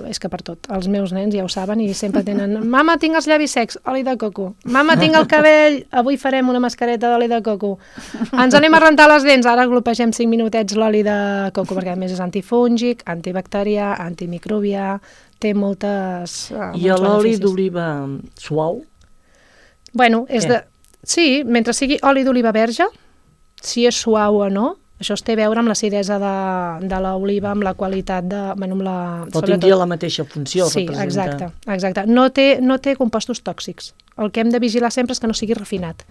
és que per tot. Els meus nens ja ho saben i sempre tenen mama, tinc els llavis secs, oli de coco. Mama, tinc el cabell, avui farem una mascareta d'oli de coco. Ens anem a rentar les dents, ara glopegem 5 minutets l'oli de coco, perquè a més és antifúngic, antibacterià, antimicrobià, té moltes I l'oli beneficis. d'oliva suau? Bueno, és de... Sí, mentre sigui oli d'oliva verge, si és suau o no, això es té a veure amb l'acidesa de l'oliva, amb la qualitat de... Bueno, amb la... O tindria la mateixa funció, sí, representa. exacte. No té compostos tòxics. El que hem de vigilar sempre és que no sigui refinat,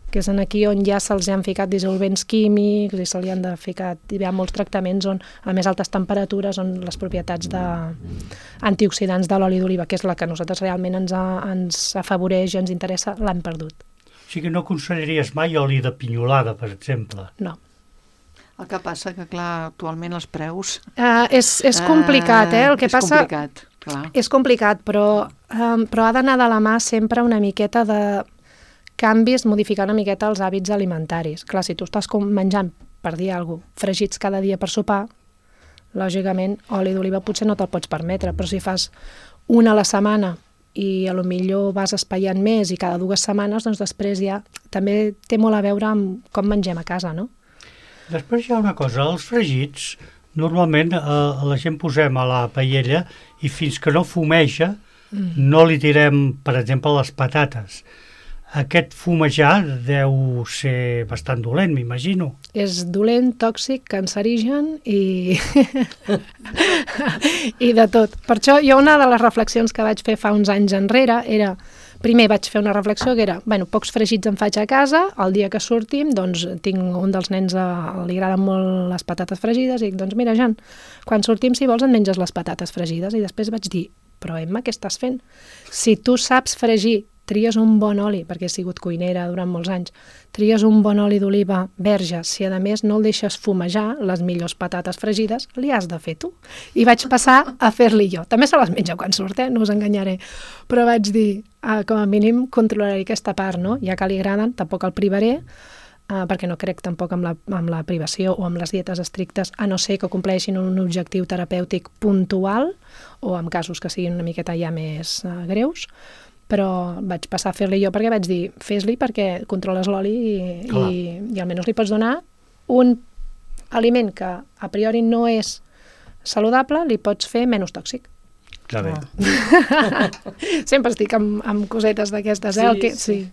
que és aquí on ja se'ls han ficat dissolvents químics i se li han de ficar, hi ha molts tractaments on a més altes temperatures, on les propietats antioxidants de l'oli d'oliva, que és la que a nosaltres realment ens afavoreix i ens interessa, l'han perdut. O sigui que no aconsellaries mai oli de pinyolada, per exemple? No. El que passa que, clar, actualment els preus... És complicat, el que passa... complicat, clar. És complicat, però ha d'anar de la mà sempre una miqueta de canvis, modificar una miqueta els hàbits alimentaris. Clar, si tu estàs menjant, per dir alguna cosa, fregits cada dia per sopar, lògicament, oli d'oliva potser no te'l pots permetre, però si fas una a la setmana i a lo millor vas espaiant més i cada 2 setmanes, doncs després ja també té molt a veure amb com mengem a casa, no? Després hi ha una cosa, els fregits, normalment la gent posem a la paella i fins que no fumeja no li tirem, per exemple, les patates. Aquest fumejar deu ser bastant dolent, m'imagino. És dolent, tòxic, cancerigen i de tot. Per això jo una de les reflexions que vaig fer fa uns anys enrere era, primer vaig fer una reflexió que era, pocs fregits em faig a casa, el dia que sortim, doncs tinc un dels nens, li agraden molt les patates fregides, i dic, doncs mira, Jan, quan sortim, si vols, et menges les patates fregides. I després vaig dir, però Emma, què estàs fent? Si tu saps fregir, tries un bon oli, perquè he sigut cuinera durant molts anys, tries un bon oli d'oliva verge, si a més no el deixes fumejar, les millors patates fregides, li has de fer tu. I vaig passar a fer-li jo. També se les menja quan surt, no us enganyaré. Però vaig dir, com a mínim controlaré aquesta part, no? Ja que li agraden, tampoc el privaré, perquè no crec tampoc amb la privació o amb les dietes estrictes, a no ser que compleixin un objectiu terapèutic puntual o en casos que siguin una miqueta ja més greus, però vaig passar a fer-li jo perquè vaig dir, fes-li perquè controles l'oli i almenys li pots donar un aliment que a priori no és saludable, li pots fer menys tòxic. Està bé. Sempre estic amb cosetes d'aquestes, sí.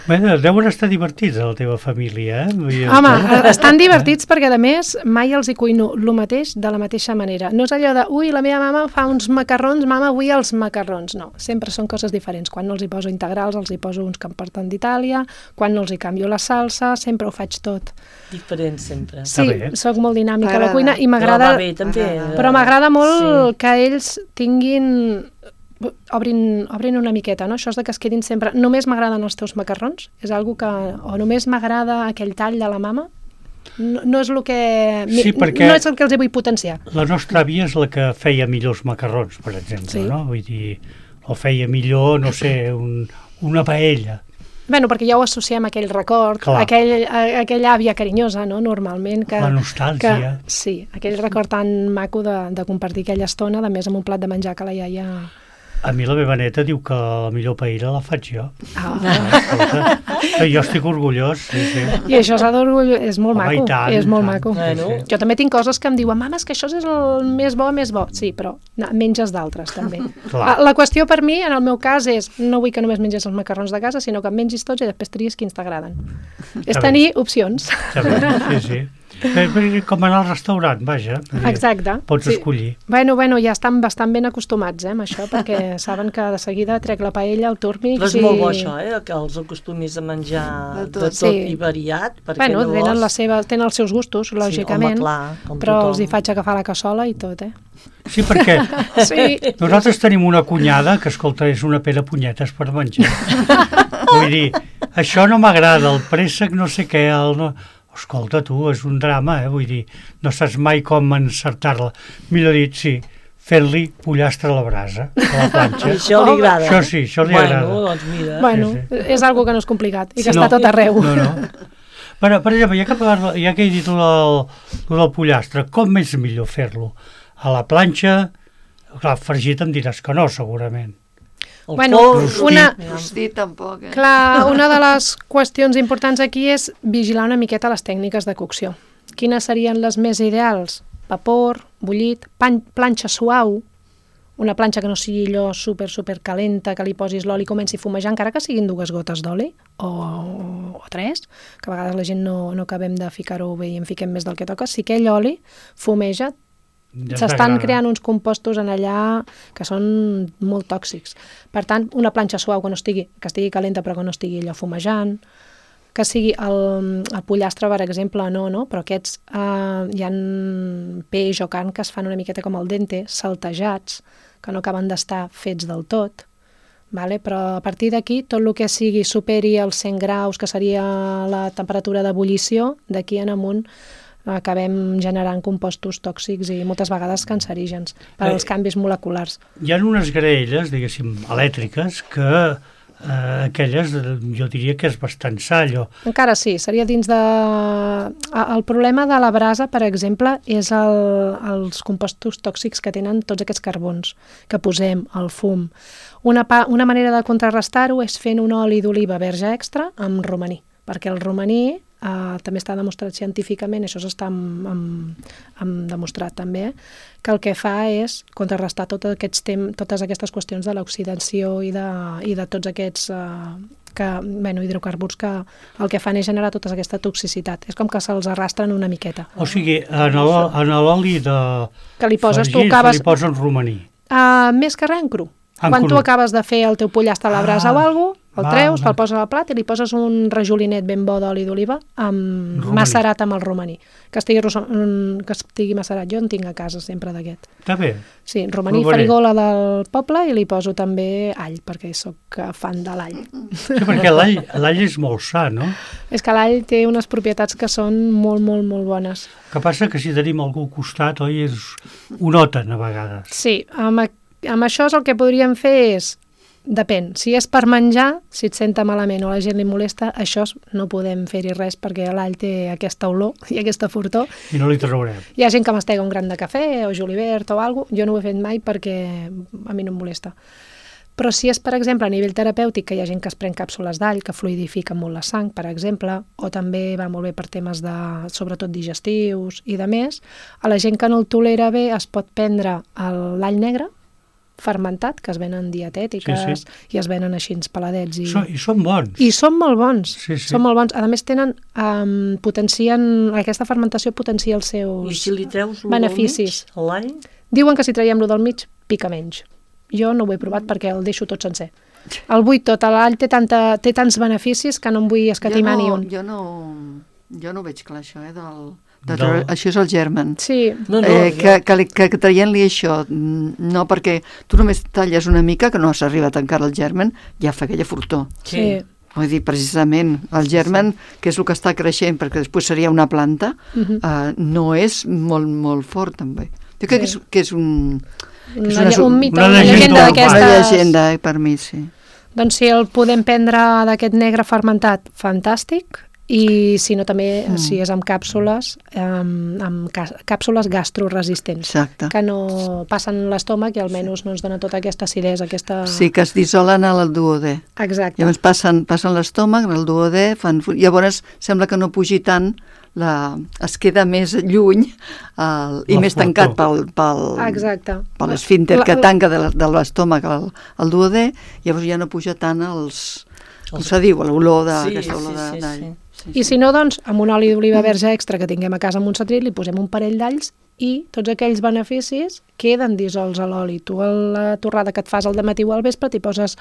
Bé, deuen estar divertits a la teva família, Home, estan divertits perquè, a més, mai els hi cuino el mateix de la mateixa manera. No és allò de, ui, la meva mama fa uns macarrons, mama, avui els macarrons. No, sempre són coses diferents. Quan no els hi poso integrals, els hi poso uns que em porten d'Itàlia, quan no els hi canvio la salsa, sempre ho faig tot. Diferent sempre. Sí, soc molt dinàmica a la cuina i m'agrada... Però m'agrada molt que ells tinguin... Obrin una miqueta, no? Això és de que es quedin sempre... Només m'agraden els teus macarrons? És algo que... O només m'agrada aquell tall de la mama? No és el que... Sí, perquè no és el que els hi vull potenciar. La nostra àvia és la que feia millors macarrons, per exemple, no? Vull dir, o feia millor, no sé, una paella. Bueno, perquè ja ho associem a aquell record, aquella àvia carinyosa, no?, normalment. La nostàlgia. Sí, aquell record tan maco de compartir aquella estona, de més amb un plat de menjar que la iaia... A mi la meva neta diu que la millor paella la faig jo. Jo estic orgullós, sí. I això s'ha d'orgullós, és molt maco. És molt maco. Sí. Jo també tinc coses que em diuen, mama, és que això és el més bo. Sí, però menges d'altres, també. La qüestió per mi, en el meu cas, és no vull que només mengis els macarrons de casa, sinó que en mengis tots i després tries quins t'agraden. És tenir opcions. Sí. Com anar al restaurant, vaja. Exacte. Pots escollir. Bueno, ja estan bastant ben acostumats amb això, perquè saben que de seguida trec la paella, el túrmix... Però és molt bo això, que els acostumis a menjar de tot i variat. Bueno, tenen els seus gustos, lògicament, però els hi faig agafar la cassola i tot, Sí, perquè nosaltres tenim una cunyada que, escolta, és una pera punyetes per menjar. Vull dir, això no m'agrada, el préssec no sé què, escolta, tu, és un drama, vull dir, no saps mai com encertar-la. Millor dit, sí, fer-li pollastre a la brasa, a la planxa. Això li agrada. Això li agrada. Doncs mira. Bueno, és algo que no és complicat i que està tot arreu. No. Per exemple, ja que he dit el del pollastre, com és millor fer-lo? A la planxa, clar, fregit em diràs que no, segurament. Rostit tampoc. Clar, una de les qüestions importants aquí és vigilar una miqueta les tècniques de cocció. Quines serien les més ideals? Vapor, bullit, planxa suau, una planxa que no sigui allò super calenta, que li posis l'oli i comenci a fumejar, encara que siguin 2 gotes d'oli o 3, que a vegades la gent no acabem de ficar-ho bé i en fiquem més del que toca. Si aquell oli fumeja, s'estan creant uns compostos en allà que són molt tòxics. Per tant, una planxa suau que estigui calenta però que no estigui allò fumejant, que sigui el pollastre, per exemple, no, però aquests hi ha peix o carn que es fan una miqueta com el dente, saltejats, que no acaben d'estar fets del tot, vale? Però a partir d'aquí, tot el que sigui superi els 100 graus, que seria la temperatura d'ebullició, d'aquí en amunt acabem generant compostos tòxics i moltes vegades cancerígens per als canvis moleculars. Hi ha unes graelles, diguéssim, elèctriques, que aquelles jo diria que és bastant sa, allò. Encara sí, seria dins de... El problema de la brasa, per exemple, és els compostos tòxics que tenen tots aquests carbons que posem, el fum. Una manera de contrarrestar-ho és fent un oli d'oliva verge extra amb romaní, perquè el romaní també està demostrat científicament, això s'està demostrat també, que el que fa és contrarrestar totes aquestes qüestions de l'oxidació i de tots aquests hidrocarburs que el que fan és generar tota aquesta toxicitat. És com que se'ls arrastren una miqueta. O sigui, en l'oli de que li poses, li posen romaní. Més que res en cru. Quan tu acabes de fer el teu pollastre a la brasa o alguna cosa, el treus, te'l poses al plat i li poses un rajolinet ben bo d'oli d'oliva macerat amb el romaní. Que estigui macerat. Jo en tinc a casa sempre d'aquest. Està bé. Sí, romaní farigola del poble i li poso també all, perquè sóc fan de l'all. Sí, perquè l'all és molt sa, no? És que l'all té unes propietats que són molt, molt, molt bones. El que passa que si tenim algú al costat, oi, ho noten a vegades. Sí, amb això el que podríem fer és, depèn, si és per menjar, si et senta malament o la gent li molesta, això no podem fer-hi res perquè l'all té aquesta olor i aquesta fortor. I no li traurem. Hi ha gent que mastega un gran de cafè o julivert o alguna cosa, jo no ho he fet mai perquè a mi no em molesta. Però si és, per exemple, a nivell terapèutic, que hi ha gent que es pren càpsules d'all, que fluidifiquen molt la sang, per exemple, o també va molt bé per temes sobretot digestius i de més, a la gent que no el tolera bé es pot prendre l'all negre, fermentat, que es venen dietètiques i es venen així peladets. I són bons. I són molt bons. Sí. Són molt bons. A més, aquesta fermentació potencia els seus beneficis. I si li treus beneficis a l'all? Diuen que si traiem-lo del mig, pica menys. Jo no ho he provat perquè el deixo tot sencer. El vull tot. L'all té tants beneficis que no em vull escatimar ni un. Jo no veig clar això, això és el germen. Sí. Que traient-li això, no, perquè tu només talles una mica, que no s'arriba a tancar el germen, ja fa aquella fortor. Sí. Vull dir, precisament, el germen, que és el que està creixent, perquè després seria una planta, no és molt, molt fort, també. Jo crec que és un mite, una llegenda d'aquestes. Una llegenda, per mi, sí. Doncs si el podem prendre d'aquest negre fermentat, fantàstic. I si no també, si és amb càpsules, càpsules gastroresistents, que no passen l'estómac i almenys no ens dona tota aquesta acidesa, Sí, que es dissolen al duodè. Exacte. Llavors passen l'estómac, el duodè, llavors sembla que no pugi tant, es queda més lluny i més tancat per l'esfínter que tanca de l'estómac al duodè, llavors ja no puja tant com se diu, l'olor d'aquesta olor d'all. I si no, doncs, amb un oli d'oliva verge extra que tinguem a casa amb un setrit, li posem un parell d'alls i tots aquells beneficis queden dissolts a l'oli. Tu a la torrada que et fas al dematí o al vespre t'hi poses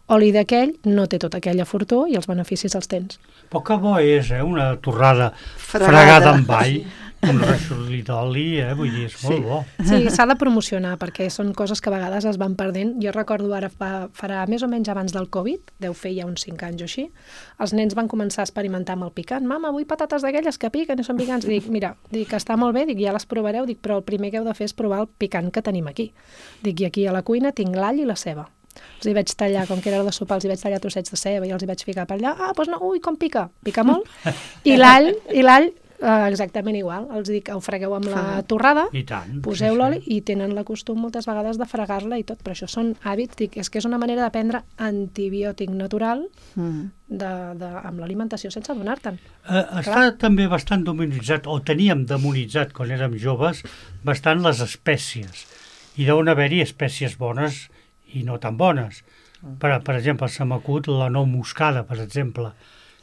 oli d'aquell, no té tota aquella fortor i els beneficis els tens. Però que bo és, una torrada fregada amb all, un rajolí d'oli, vull dir, és molt bo. Sí, s'ha de promocionar perquè són coses que a vegades es van perdent. Jo recordo ara, farà més o menys abans del Covid, deu fer ja uns 5 anys o així, els nens van començar a experimentar amb el picant. Mama, vull patates d'aquelles que piquen i són picants. Dic, mira, està molt bé, ja les provareu, però el primer que heu de fer és provar el picant que tenim aquí. I aquí a la cuina tinc l'all i la ceba. Els hi vaig tallar, com que era de sopar, els hi vaig tallar trossets de ceba i els hi vaig ficar per allà. Doncs no, ui, com pica? Pica molt. I l'all, exactament igual. Els dic, ho fregueu amb la torrada, poseu l'oli i tenen la costum moltes vegades de fregar-la i tot. Però això són hàbits, és que és una manera de prendre antibiòtic natural amb l'alimentació sense donar-te'n. Està també bastant demonitzat, o teníem demonitzat quan érem joves, bastant les espècies. i deuen haver-hi espècies bones i no tan bones. Per exemple, se m'acut la nou moscada, per exemple.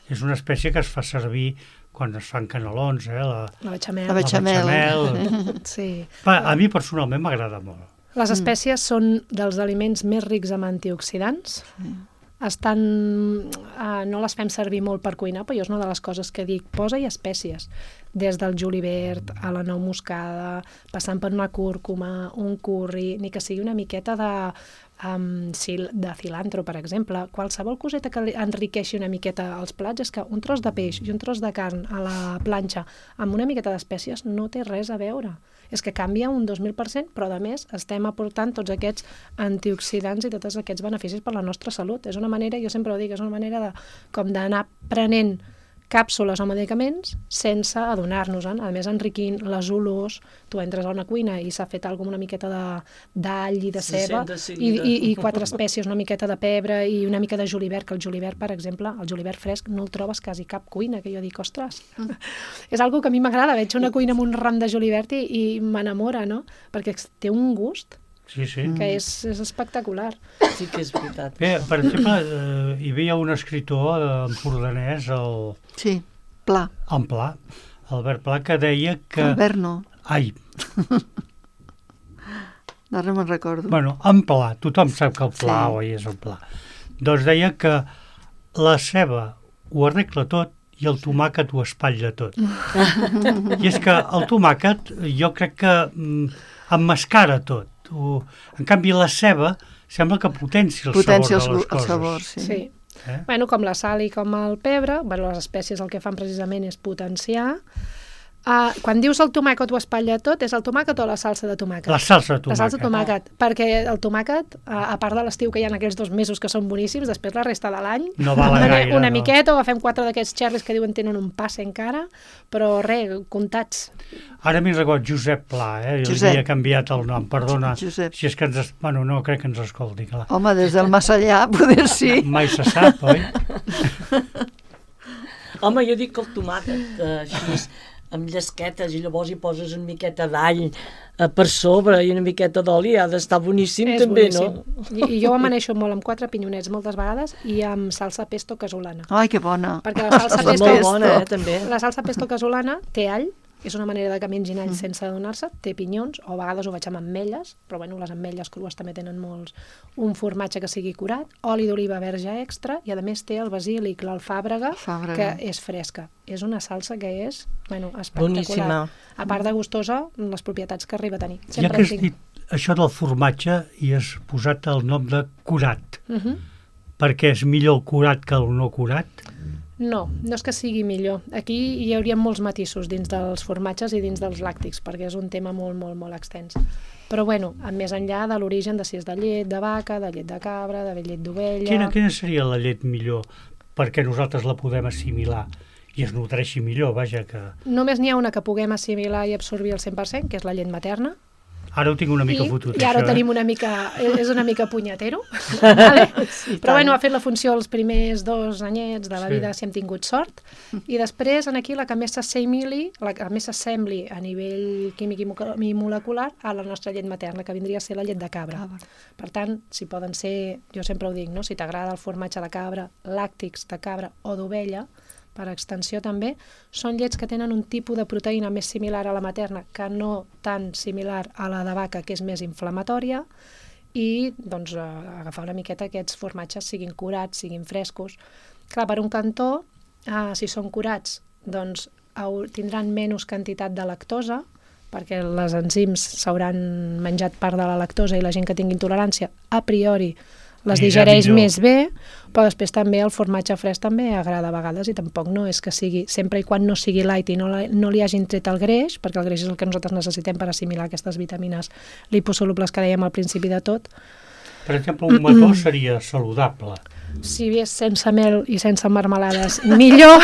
És una espècie que es fa servir quan es fan canelons, La bechamel. La bechamel. Sí. A mi personalment m'agrada molt. Les espècies són dels aliments més rics en antioxidants. No les fem servir molt per cuinar, però jo és una de les coses que dic, posa-hi espècies, des del julivert a la nou moscada, passant per una cúrcuma, un curri, ni que sigui una miqueta de cilantro, per exemple. Qualsevol coseta que enriqueixi una miqueta els plats és que un tros de peix i un tros de carn a la planxa amb una miqueta d'espècies no té res a veure. És que canvia un 2000%, però a més estem aportant tots aquests antioxidants i tots aquests beneficis per la nostra salut. És una manera, jo sempre ho dic, és una manera com d'anar prenent càpsules o medicaments sense adonar-nos-en. A més, enriquint les olors, tu entres a una cuina i s'ha fet alguna una miqueta d'all i de ceba i 4 espècies, una miqueta de pebre i una mica de julivert, que el julivert, per exemple, el julivert fresc no el trobes quasi cap cuina, que jo dic, ostres, és algo que a mi m'agrada, veig una cuina amb un ram de julivert i m'enamora, no? Perquè té un gust que és espectacular. Sí que és veritat. Bé, per exemple, hi havia un escriptor empordanès, Sí, Pla. en Pla, Albert Pla, que deia que... Albert no. Ai, Ara me'n recordo. bueno, en Pla, tothom sap que el Pla Sí. oi, és el Pla. Doncs deia que la ceba ho arregla tot i el tomàquet ho espatlla tot. I és que el tomàquet jo crec que emmascara tot. En canvi, la ceba sembla que potencia el sabor de les coses. El sabor, sí. Sí. Bueno, com la sal i com el pebre, les espècies el que fan precisament és potenciar. Quan dius el tomàquet ho espatlla tot, és el tomàquet o la salsa de tomàquet? La salsa de tomàquet. La salsa de tomàquet, perquè el tomàquet, a part de l'estiu que hi ha aquells 2 mesos que són boníssims, després la resta de l'any, no val gaire, una miqueta, o agafem 4 d'aquests xerris que diuen tenen un passe encara, però res, comptats. Ara m'he recordat Josep Pla, li havia canviat el nom, perdona, Josep. si és que bueno, no crec que ens escolti, clar. Home, des del Massallà, poder sí. Mai se sap, oi? Home, jo dic que el tomàquet, així, amb llesquetes, i llavors hi poses una miqueta d'all per sobre i una miqueta d'oli, ha d'estar boníssim també, boníssim. No? I jo ho amaneixo molt amb 4 pinyonets moltes vegades i amb salsa pesto casolana. Ai, que bona. Perquè la salsa És molt bona, també. La salsa pesto casolana té all, és una manera de que mengin all sense adonar-se, té pinyons, o a vegades ho faig amb ametlles, però bueno, les ametlles crues també tenen molts, un formatge que sigui curat, oli d'oliva verge extra, i a més té el basílic, l'alfàbrega, que és fresca. És una salsa que és, bueno, espectacular. Boníssima. A part de gustosa, les propietats que arriba a tenir. Ja que has dit això del formatge i has posat el nom de curat, perquè és millor el curat que el no curat? No, no és que sigui millor. Aquí hi hauria molts matisos dins dels formatges i dins dels làctics, perquè és un tema molt, molt, molt extens. Però, bueno, més enllà de l'origen de si és de llet de vaca, de llet de cabra, de llet d'ovella... Quina seria la llet millor perquè nosaltres la podem assimilar i es nodreixi millor, vaja que... Només n'hi ha una que puguem assimilar i absorbir al 100%, que és la llet materna. Ara ho tinc una mica fotut, I ara ho tenim una mica... És una mica punyetero, vale? Però bueno, ha fet la funció els primers 2 anyets de la vida si hem tingut sort, i després aquí la que més s'assembli, la que més s'assembli a nivell químic i molecular a la nostra llet materna, que vindria a ser la llet de cabra. Per tant, si poden ser, jo sempre ho dic, no? Si t'agrada el formatge de cabra, làctics de cabra o d'ovella, per extensió també, són llets que tenen un tipus de proteïna més similar a la materna que no tan similar a la de vaca, que és més inflamatòria, i doncs agafar una miqueta aquests formatges, siguin curats, siguin frescos. Clar, per un cantó, si són curats, doncs tindran menys quantitat de lactosa, perquè les enzims s'hauran menjat part de la lactosa i la gent que tingui intolerància, a priori, les digereix més bé, però després també el formatge fresc també agrada a vegades i tampoc no és que sigui, sempre i quan no sigui light i no li hagin tret el greix, perquè el greix és el que nosaltres necessitem per assimilar aquestes vitamines liposolubles que dèiem al principi de tot. Per exemple, un mató seria saludable. Si és sense mel i sense marmelades, millor.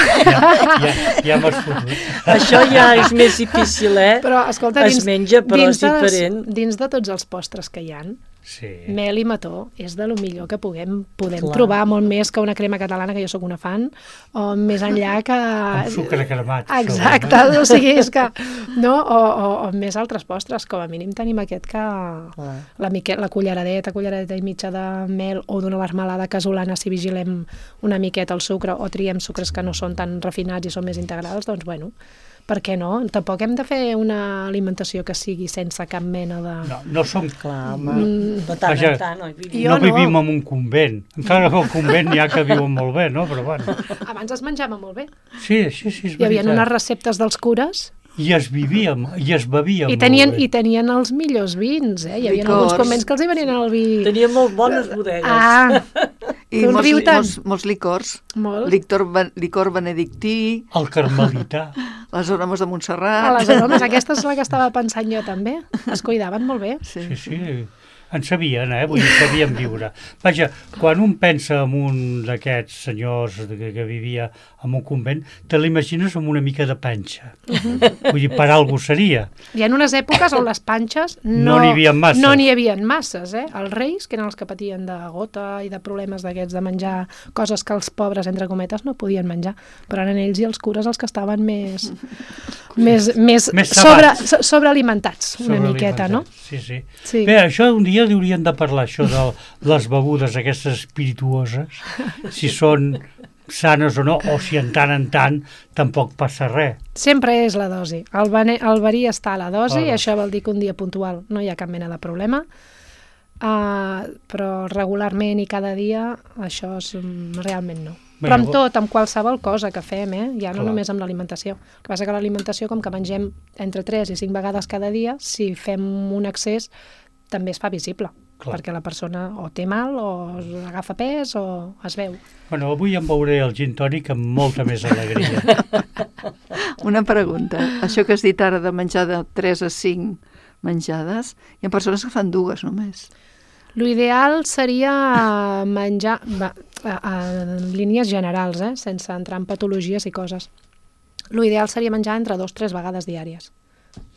Ja m'has fotut. Això ja és més difícil, Però, escolta, es menja, però és diferent. Dins de tots els postres que hi ha, Sí. Mel i mató és de lo millor que podem Clar. trobar, molt més que una crema catalana, que jo sóc una fan, o més enllà que... Amb sucre cremat. Exacte, o sigui, és que... No? O més altres postres, com a mínim tenim aquest que... La culleradeta i mitja de mel o d'una marmelada casolana, si vigilem una miqueta el sucre o triem sucres que no són tan refinats i són més integrals, doncs bueno, per què no? Tampoc hem de fer una alimentació que sigui sense cap mena de... No som... Clar, home, de tant Vaja, en tant, oi? no vivim en un convent. Encara que al convent n'hi ha que viuen molt bé, no? Però bueno. Abans es menjava molt bé. Sí, és veritat. Hi havia unes receptes dels cures I es bevia molt i bé. tenien els millors vins, eh? Hi havia Licors. alguns convents que els hi venien el vi... Tenia molt bones bodegues. Ah, I Tu en riu tant. molts licors. molt. Licor benedictí, El carmelità. les aromes de Montserrat. A les aromes, aquesta és la que estava pensant jo també. Es cuidaven molt bé. Sí. Sí. En sabien, vull dir, sabien viure. Vaja, quan un pensa en un d'aquests senyors que vivia en un convent, te l'imagines amb una mica de panxa. Vull dir, per algú seria. Hi ha unes èpoques on les panxes No n'hi havia masses. No n'hi havia masses, eh? Els reis, que eren els que patien de gota i de problemes d'aquests de menjar coses que els pobres, entre cometes, no podien menjar. Però eren ells i els cures els que estaven més sobrealimentats, una miqueta, no? Sí. Sí. Bé, això un dia hauríem de parlar, això de les begudes aquestes espirituoses, si són sanes o no, o si en tant tampoc passa res. Sempre és la dosi. El verí està a la dosi, Ah, i això vol dir que un dia puntual no hi ha cap mena de problema, però regularment i cada dia això és, realment no. Bé, Però amb tot, amb qualsevol cosa que fem, ja no Clar. només amb l'alimentació. El que passa que l'alimentació, com que mengem entre 3 i 5 vegades cada dia, si fem un excés també es fa visible, Clar. perquè la persona o té mal o agafa pes o es veu. Bueno, avui em beuré el gin tònic amb molta més alegria. Una pregunta. Això que has dit ara de menjar de 3 a 5 menjades, hi ha persones que fan 2 només. L'ideal seria menjar, en línies generals, sense entrar en patologies i coses. L'ideal seria menjar entre 2 o 3 vegades diàries.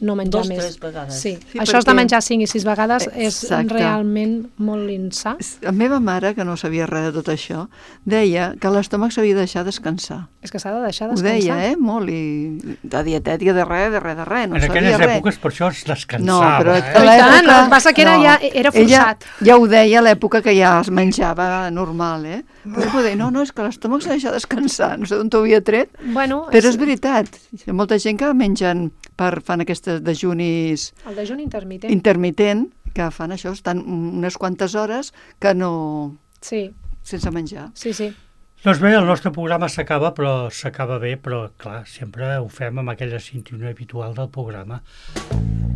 No menjar 2 o més. 3 vegades. Sí. Sí, Això és de perquè- menjar 5 i 6 vegades és Exacte. realment molt insà. La meva mare, que no sabia res de tot això, deia que l'estómac s'havia de deixar descansar. És que s'ha de deixar Ho descansar. deia, molt, i de dietètica de res, no En sabia aquelles res. èpoques per això es descansava. No, però I tant, el que passa que era forçat. Ella ja ho deia a l'època que ja es menjava normal, Però ho deia, no, és que l'estómac s'ha de deixar descansar, no sé d'on t'ho havia tret, Bueno, però és veritat, hi ha molta gent que mengen fan aquestes dejunis el dejuni intermitent. intermitent, que fan això, estan unes quantes hores que no... Sí, sense menjar. sí. Doncs bé, el nostre programa s'acaba, però s'acaba bé, però clar, sempre ho fem amb aquella sintonia habitual del programa.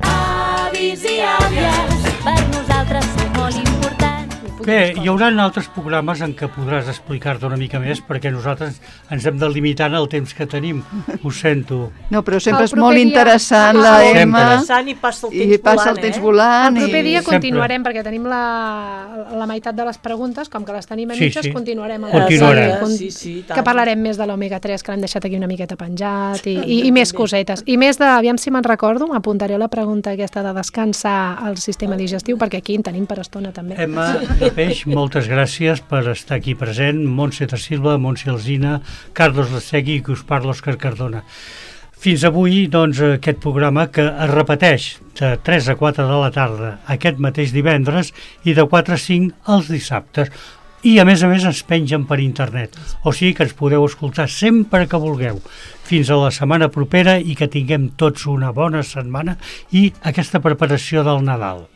Avis i àvies, per nosaltres sou molt importants. Bé, hi haurà altres programes en què podràs explicar-te una mica més, perquè nosaltres ens hem de limitar en el temps que tenim. Ho sento. No, però sempre El és proper molt dia- interessant Ah, la sempre. Emma, Interessant i passa el temps i passa el temps volant. El proper dia Sempre. continuarem, perquè tenim la meitat de les preguntes, com que les tenim a Sí, mitges, sí. continuarem. Continuarem. Sí, tant. Que parlarem més de l'omega-3, que l'hem deixat aquí una miqueta penjat, i més cosetes. I més de, aviam si me'n recordo, m'apuntaré a la pregunta aquesta de descansar el sistema digestiu, perquè aquí en tenim per estona també. Emma de Peix, moltes gràcies per estar aquí present. Montse de Silva, Montse Alsina, Carlos Lasegui i que us parla Òscar Cardona. Fins avui, doncs, aquest programa que es repeteix de 3 a 4 de la tarda aquest mateix divendres i de 4 a 5 els dissabtes. I, a més, ens pengen per internet. O sigui que ens podeu escoltar sempre que vulgueu. Fins a la setmana propera i que tinguem tots una bona setmana i aquesta preparació del Nadal.